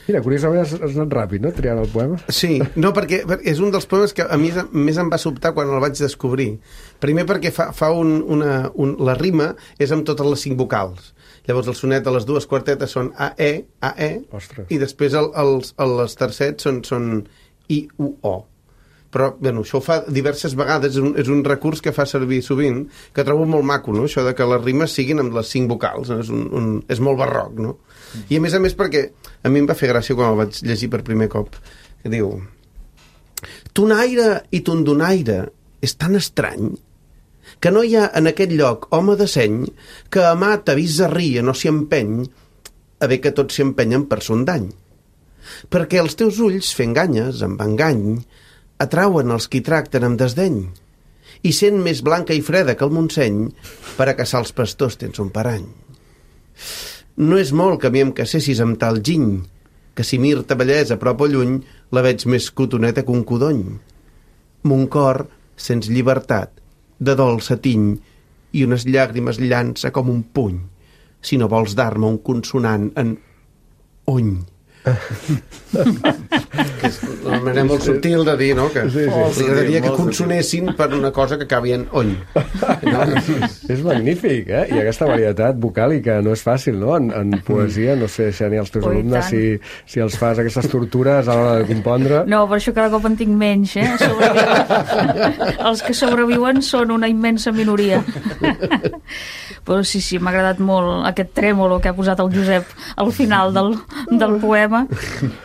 Mira, curiosament has, has anat ràpid, no?, triant el poema. Sí, no, perquè és un dels poemes que a mi més em va sobtar quan el vaig descobrir. Primer perquè fa, fa un, una, un, la rima és amb totes les cinc vocals. Llavors el sonet de les dues quartetes són A, E, A, E, Ostres. I després el, els, els tercets són, són I, U, O. però bueno, això ho fa diverses vegades, és un, és un recurs que fa servir sovint, que trobo molt maco, no? Això de que les rimes siguin amb les cinc vocals, no? És, un, un, és molt barroc, no? I a més a més perquè a mi em va fer gràcia quan el vaig llegir per primer cop, que diu: tonaire i tondonaire és tan estrany que no hi ha en aquest lloc home de seny que amar t'avisa ria no s'hi empeny, a bé que tots s'hi empenyen per son dany. Perquè els teus ulls, fent ganyes, amb engany, atrauen els qui tracten amb desdeny, i sent més blanca i freda que el Montseny, per a caçar els pastors tens un parany. No és molt que a mi em casessis amb tal giny, que si mir-te bellesa a prop o lluny, la veig més cotoneta que un codony. Mon cor sents llibertat, de dolça tiny, i unes llàgrimes llança com un puny, si no vols dar-me un consonant en ony. Que és una manera molt subtil de dir, no? Que sí, sí. Li agradaria que consonessin per una cosa que acabi en ony. No? És magnífic, eh? I aquesta varietat vocàlica no és fàcil, no? En, en poesia, no sé, Xènia, els teus oh, alumnes, si, si els fas aquestes tortures a l'hora de compondre... No, per això cada cop en tinc menys, eh? Els que sobreviuen són una immensa minoria. Però sí, sí, m'ha agradat molt aquest trèmolo que ha posat el Josep al final del, del poema.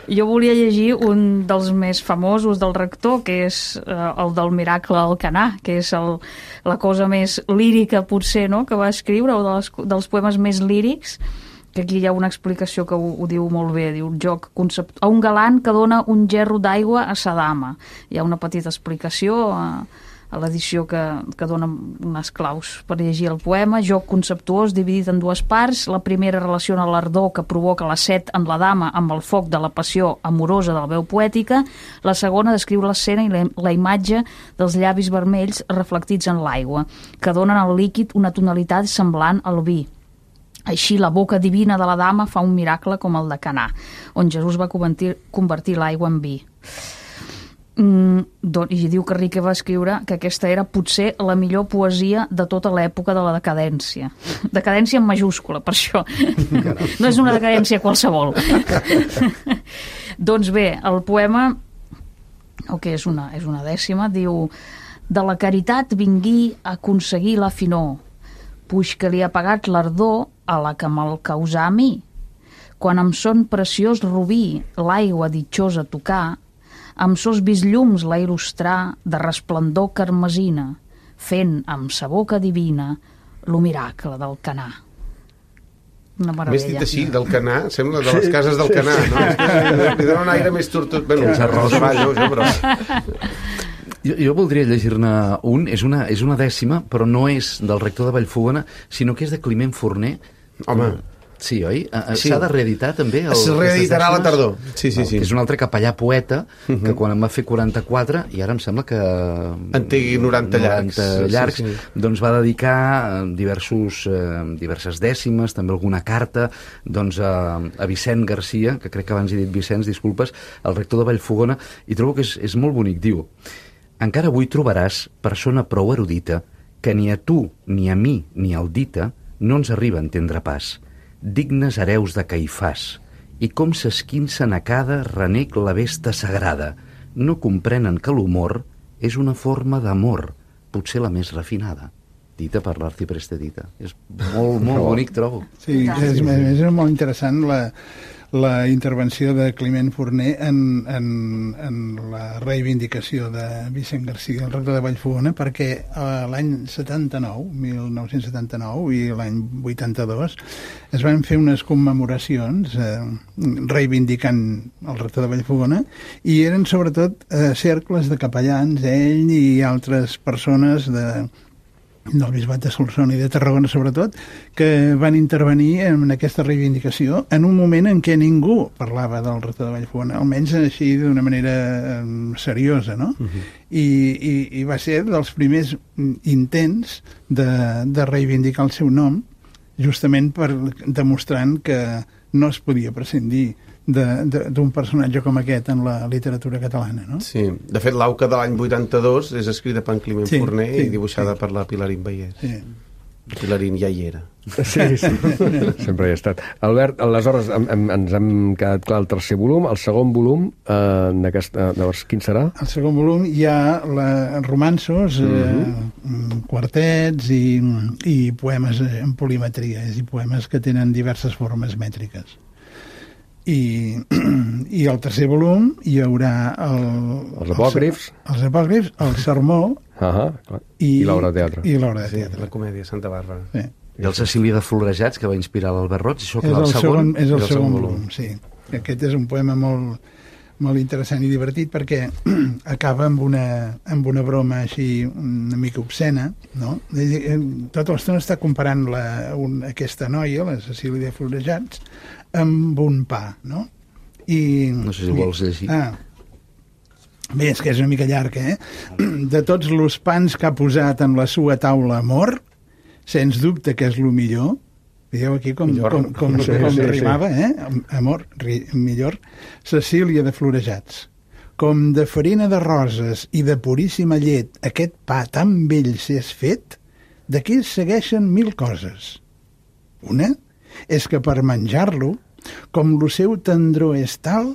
Jo volia llegir un dels més famosos del rector, que és eh, el del Miracle al Canà, que és el, la cosa més lírica, potser, no?, que va escriure, o de les, dels poemes més lírics, que aquí hi ha una explicació que ho, ho diu molt bé, diu joc concept... a un galant que dona un gerro d'aigua a sa dama. Hi ha una petita explicació a, a l'edició que, que dona unes claus per llegir el poema. Joc conceptuós dividit en dues parts. La primera relaciona l'ardor que provoca la set en la dama amb el foc de la passió amorosa de la veu poètica. La segona descriu l'escena i la, la imatge dels llavis vermells reflectits en l'aigua, que donen al líquid una tonalitat semblant al vi. Així, la boca divina de la dama fa un miracle com el de Canà, on Jesús va convertir, convertir l'aigua en vi. Mm, doncs, I diu que Rique va escriure que aquesta era potser la millor poesia de tota l'època de la decadència. Decadència en majúscula, per això. No és una decadència qualsevol. Doncs bé, el poema, o que és una, és una dècima, diu: de la caritat vingui a aconseguir la finor, puix que li ha pagat l'ardor a la que me'l causà a mi. Quan amb son preciós rubí l'aigua ditjosa tocar, amb sos visllums la il·lustrar de resplendor carmesina, fent amb sa boca divina lo miracle del Canà. Una meravella. Més dit així, del Canà, sembla de les cases del Canà, no? Li dona un aire més tortut. Bueno, els arròs avall, no? Però... Jo, jo voldria llegir-ne un, és una, és una dècima, però no és del rector de Vallfogona, sinó que és de Climent Forner. Home... Sí, oi? Sí. S'ha de reeditar també? El, es reeditarà a la tardor. Sí, sí, sí. Que és un altre capellà poeta que uh-huh. quan em va fer quaranta-quatre, i ara em sembla que... En té noranta llargs. noranta llargs, sí, sí. Doncs va dedicar diversos, eh, diverses dècimes, també alguna carta, doncs a, a Vicent Garcia, que crec que abans he dit Vicenç, disculpes, el rector de Vallfogona, i trobo que és, és molt bonic. Diu: encara avui trobaràs persona prou erudita que ni a tu, ni a mi, ni al dita no ens arriba a entendre pas. Dignes hereus de Caifàs, i com s'esquincen a cada renec la vesta sagrada, no comprenen que l'humor és una forma d'amor, potser la més refinada. Dita per l'arcipreste Dita. És molt, molt bonic, trobo. Sí, és, és molt interessant la, la intervenció de Climent Forner en, en, en la reivindicació de Vicent Garcia, el rector de Vallfogona, perquè l'any setanta-nou, mil nou-cents setanta-nou, i l'any vuitanta-dos es van fer unes commemoracions eh, reivindicant el rector de Vallfogona, i eren sobretot eh, cercles de capellans, ell i altres persones de del Bisbat de Solsona i de Tarragona sobretot, que van intervenir en aquesta reivindicació en un moment en què ningú parlava del rector de Vallfogona, almenys així d'una manera seriosa, no? Uh-huh. I, i, i va ser dels primers intents de, de reivindicar el seu nom, justament per demostrant que no es podia prescindir d'un personatge com aquest en la literatura catalana, no? Sí, de fet l'auca de l'any vuitanta-dos és escrita per en Climent sí, Forner sí, i dibuixada sí. per la Pilar Imbaiés. Sí. Pilarín ja hi era. Sí, sí, sempre hi ha estat. Albert, aleshores em, em, ens hem quedat clar el tercer volum, el segon volum, eh, d'aquesta, llavors, quin serà? Al segon volum hi ha la, romanços, mm-hmm. eh, quartets i, i poemes en polimetria, és a dir, poemes que tenen diverses formes mètriques. I, i al tercer volum hi haurà el, els apòcrifs, els, els apòcrifs, el sermó uh-huh, i, i l'obra de teatre. I l'obra de Sí, teatre. la comèdia Santa Bàrbara. Sí. I el Cecília de Florejats, que va inspirar l'Albert Roig, això que És va el el segon, segon, és el i el segon volum, sí. Aquest és un poema molt, molt interessant i divertit perquè acaba amb una, amb una broma així una mica obscena, no? Tota l'estona està comparant la, un, aquesta noia, la Cecília de Florejats, amb un pa, no? I, No sé si ho vols llegir. Ah, bé, és que és una mica llarg, eh? De tots els pans que ha posat en la sua taula amor, sens dubte que és el millor. Veieu aquí com, Millor. com, com, Sí, com sí, sí. rimava, eh? Amor, ri, millor. Cecília de Florejats. Com de farina de roses i de puríssima llet aquest pa tan vell s'és fet, d'aquí segueixen mil coses. Una és que per menjar-lo, com lo seu tendror és tal,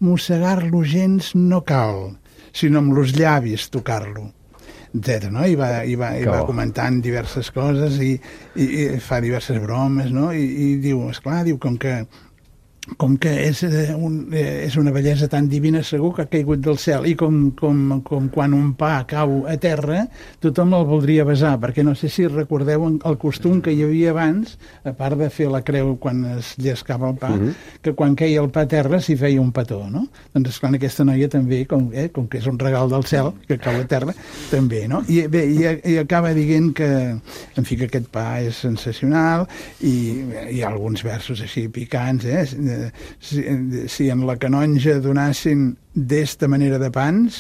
mossegar-lo gens no cal, sinó amb los llavis tocar-lo, etcètera, no? I va, i va, i va comentant diverses coses i, i, i fa diverses bromes, no? I, i diu, esclar, diu, com que com que és, eh, un, eh, és una bellesa tan divina, segur que ha caigut del cel, i com, com, com quan un pa cau a terra tothom el voldria besar, perquè no sé si recordeu el costum que hi havia abans, a part de fer la creu quan es llescava el pa, uh-huh. que quan queia el pa a terra s'hi feia un petó, no? Doncs esclar, aquesta noia també, com, eh, com que és un regal del cel que cau a terra, també, no? I bé, i, i acaba dient que, en fi, que aquest pa és sensacional, i hi ha alguns versos així picants, eh? Si, si en la canonja donassin d'esta manera de pans,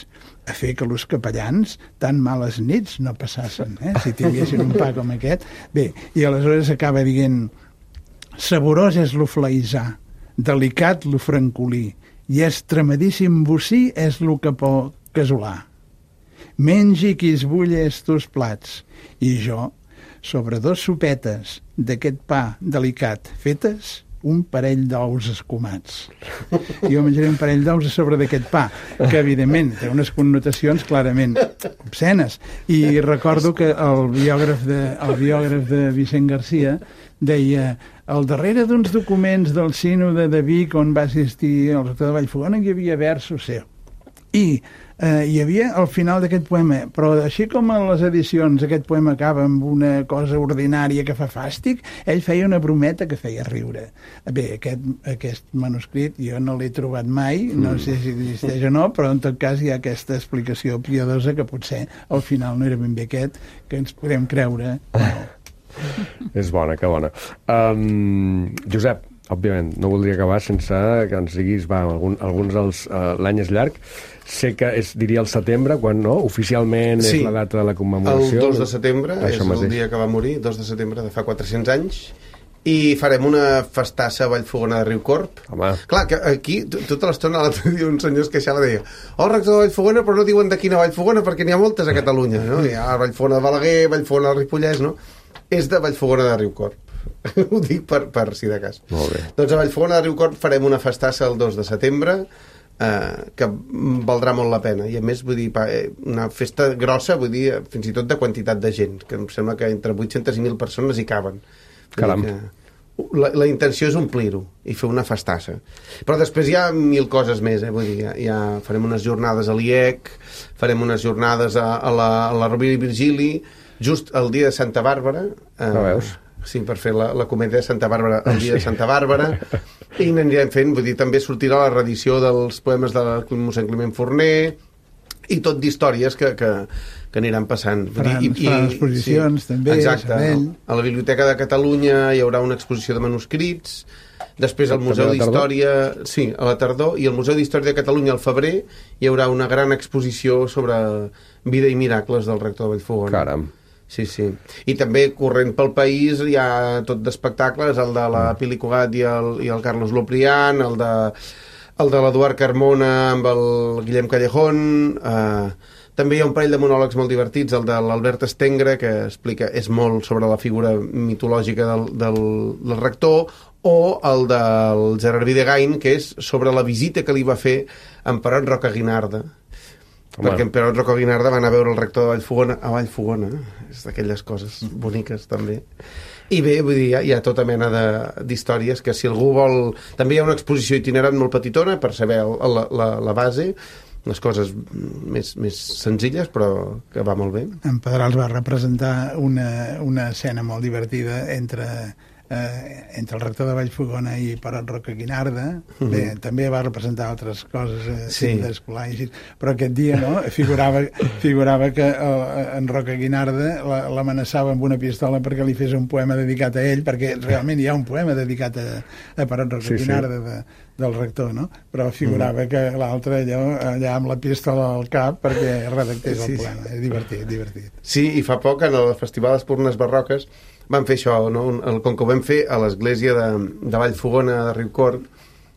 a fer que els capellans tan males nits no passassin, eh? Si tinguessin un pa com aquest. Bé, i aleshores acaba dient: saborós és lo flaïsà, delicat lo francolí, i extremadíssim bocí és lo capó casolà. Mengi qui es bulle estos plats, i jo, sobre dos sopetes d'aquest pa delicat fetes, un parell d'ous escumats. Jo menjaré un parell d'ous a sobre d'aquest pa, que evidentment té unes connotacions clarament obscenes. I recordo que el biògraf de, el biògraf de Vicent Garcia deia: al darrere d'uns documents del sínode de Vic on va assistir el rector de Vallfogona hi havia versos seu. I eh, hi havia al final d'aquest poema, però així com a les edicions aquest poema acaba amb una cosa ordinària que fa fàstic, ell feia una brometa que feia riure. Bé, aquest, aquest manuscrit jo no l'he trobat mai, no sé si existeix o no, però en tot cas hi ha aquesta explicació piadosa que potser al final no era ben bé aquest, que ens podem creure. És bona, que bona. Um, Josep, òbviament, no voldria acabar sense que ens diguis, va, algun, alguns dels... Uh, l'any és llarg, sé que és, diria, el setembre, quan no, oficialment Sí, és la data de la commemoració. El dos de setembre, és mateix. el dia que va morir, dos de setembre de fa quatre-cents anys, i farem una festassa a Vallfogona de Riucorb. Home. Clar, que aquí, tota l'estona, l'altre dia un senyor es queixava, deia: oh, rector de Vallfogona, però no diuen de quina Vallfogona, perquè n'hi ha moltes a Catalunya, no? Hi ha Vallfogona de Balaguer, Vallfogona del Ripollès, no? És de Vallfogona de Riucorb. Ho dic per, per si de cas. Molt bé. Doncs a Vallfogona de Riucorb farem una festassa el dos de setembre, eh, que valdrà molt la pena. I a més, vull dir, pa, eh, una festa grossa, vull dir, fins i tot de quantitat de gent, que em sembla que entre vuit-centes i mil persones hi caben. Vull Caram. dir que La, la intenció és omplir-ho i fer una festassa. Però després hi ha mil coses més, eh? Vull dir, ja, ja farem unes jornades a l'I E C, farem unes jornades a, a la, a la Rovira i Virgili, just el dia de Santa Bàrbara. Eh, No veus? Sí, per fer la, la comèdia de Santa Bàrbara el dia de Santa Bàrbara. I n'anirem fent, vull dir, també sortirà la reedició dels poemes de mossèn Climent Forner, i tot d'històries que, que, que aniran passant. Faran, I, i, faran exposicions, sí, també, exacte. Sabell. A la Biblioteca de Catalunya hi haurà una exposició de manuscrits, després al Museu També a la tardor? d'Història, sí, a la tardor, i al Museu d'Història de Catalunya al febrer hi haurà una gran exposició sobre vida i miracles del rector de Vallfogona. Caram. Sí, sí. I també corrent pel país hi ha tot d'espectacles, el de la Pili Cugat i el, i el Carlos Loprián, el de, el de l'Eduard Carmona amb el Guillem Callejón, eh, També hi ha un parell de monòlegs molt divertits, el de l'Albert Estengre, que explica, és molt sobre la figura mitològica del, del, del rector, o el del Gerard Videgain, que és sobre la visita que li va fer en Perot Roca Guinarda. Home. Perquè en Perot Roca Guinarda van a veure el rector de Vallfogona a Vallfogona, és d'aquelles coses boniques també. I bé, vull dir, hi ha, hi ha tota mena d'històries que si algú vol... També hi ha una exposició itinerant molt petitona per saber el, la, la, la base, les coses més, més senzilles, però que va molt bé. En Pedrals va representar una, una escena molt divertida entre... Eh, entre el rector de Vallfogona i Perot Roca Guinarda. Uh-huh. Bé, també va representar altres coses eh, sí. d'escolar i així, però aquest dia no, figurava, figurava que eh, en Roca Guinarda l'amenaçava amb una pistola perquè li fes un poema dedicat a ell, perquè realment hi ha un poema dedicat a, a Perot Roca sí, Guinarda sí. de, del rector, no? Però figurava uh-huh. que l'altre allò, allà amb la pistola al cap perquè redactés sí, el poema. És divertit, divertit. Sí, i fa poc en el Festival d'Espurnes Barroques vam fer això, no? El, com que ho vam fer a l'església de, de Vallfogona de Riucorb,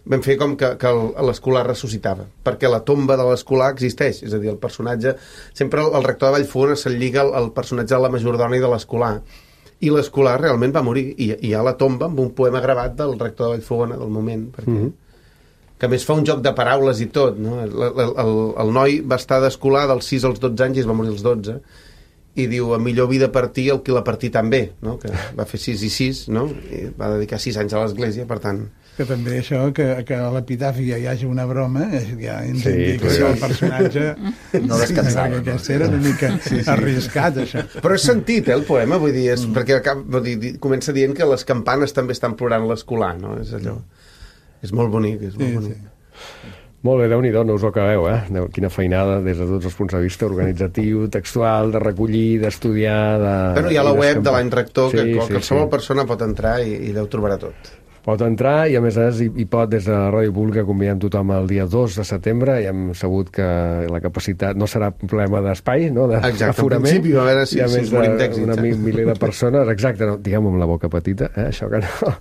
vam fer com que, que l'escolar ressuscitava, perquè la tomba de l'escolar existeix, és a dir, el personatge... Sempre el, el rector de Vallfogona se'l lliga al, al personatge de la majordona i de l'escolar, i l'escolar realment va morir, i, i hi ha la tomba amb un poema gravat del rector de Vallfogona del moment, perquè... Mm-hmm. Que a més fa un joc de paraules i tot, no? El, el, el, el noi va estar d'escolar dels sis als dotze anys i es va morir als dotze, i diu, a millor vida partir el que la partir també, no? Que va fer sis i sis, no? I va dedicar sis anys a l'església, per tant... Que també això, que, que a l'epitafi ja hi hagi una broma, ja ens sí, indica que el personatge... No descansava. Sí, aquest era una mica sí, sí. arriscat, això. Però és sentit, eh, el poema, vull dir, és, mm. perquè cap, vull dir, comença dient que les campanes també estan plorant l'escolar, no? És allò... És molt bonic, és molt sí, bonic. Sí. Molt bé, Déu-n'hi-do, no us ho acabeu, eh? Quina feinada des de tots els punts de vista, organitzatiu, textual, de recollir, d'estudiar... De... Bueno, hi ha la web de l'any rector, sí, que sí, qualsevol sí. persona pot entrar i, i deu trobarà tot. Pot entrar i, a més a més, hi, hi pot, des de la Ràdio Pública, convidem tothom el dia dos de setembre i hem sabut que la capacitat no serà un problema d'espai, no? D'aforament. En principi, a veure si, i a si més ens morim d'èxit. Una miler de persones, exacte, no, diguem-ho amb la boca petita, eh? Això que no.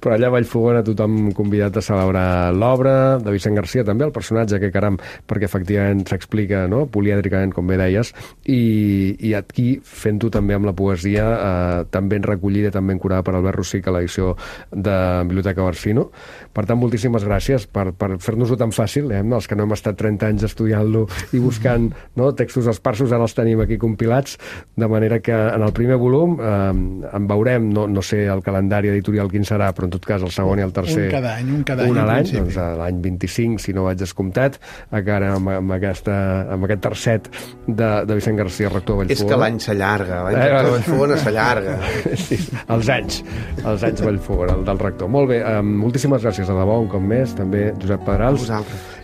Però allà a Vallfogona tothom convidat a celebrar l'obra de Vicent Garcia, també el personatge, que caram, perquè efectivament s'explica, no?, polièdricament, com bé deies, i, i aquí fent-ho també amb la poesia, eh, també ben recollida, també ben curada per Albert Rossich a l'edició de Biblioteca Barcino. Per tant, moltíssimes gràcies per, per fer-nos-ho tan fàcil, eh? Els que no hem estat trenta anys estudiant-lo i buscant, no?, textos esparsos, ara els tenim aquí compilats, de manera que en el primer volum eh, en veurem, no, no sé el calendari editorial quin serà, però en tot cas el segon i el tercer... Un cada any, un cada any. Un a l'any, doncs l'any vint-i-cinc, si no vaig descomptat, encara amb, amb, aquesta, amb aquest tercet de, de Vicent Garcia, rector de Vallfogona. És que l'any s'allarga, l'any rector de Vallfogona s'allarga. Sí, els anys, els anys Vallfogona, el del rector. Molt bé, um, moltíssimes gràcies a debò, un cop més, també Josep Pedrals.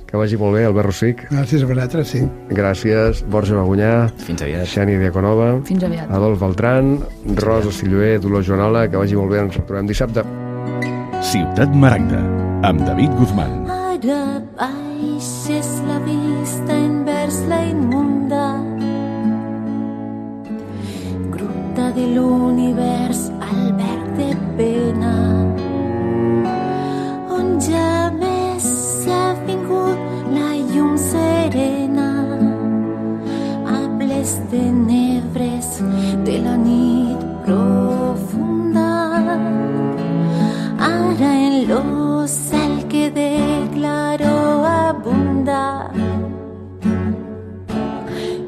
Que vagi molt bé, Albert Rossich. Gràcies a vosaltres, sí. Gràcies, Borja Bagunyà. Fins aviat. Xènia Diaconova. Fins aviat. Adolf Beltran, Rosa Silloé, Dolors Joanola, que vagi molt bé, ens retrobem dissabte. Ciutat Maragda, amb David Guzmán. Ara baixes la vista envers la immunda gruta de l'univers al verd de pena, on ja més s'ha vingut la llum serena a les tenebres de la nit profunda. Ara en lo cel que de claro abunda,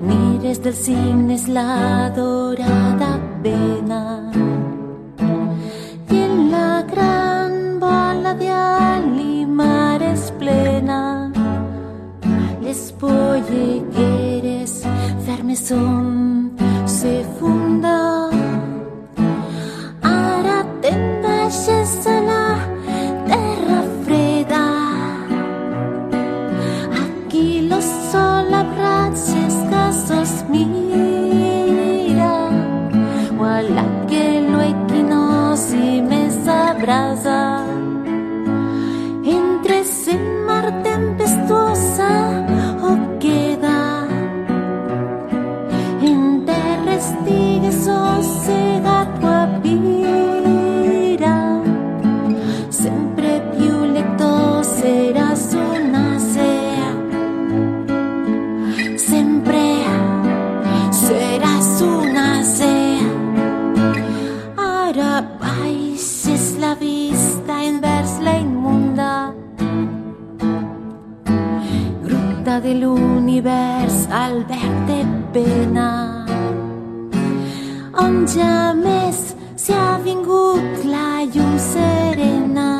mires dels cignes la dorada pena, i en la gran bola de alimares plena les pollegueres fermes son se funda. Ara te'n baixes a la terra freda, aquí lo sol abraça els casos mira, voilà que lo equinoci més abraça entre se mar tempestuosa o queda en terra estigues o segat o apira, sempre più lector seràs una ser, sempre baix és la vista envers la immunda gruta de l'univers al verd de pena, on ja més s'hi ha vingut la llum serena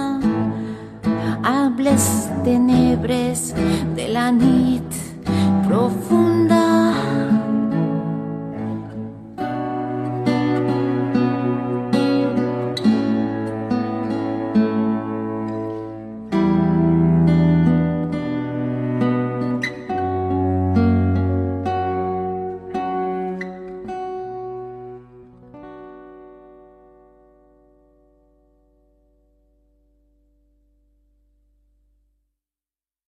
amb les tenebres de la nit profunda.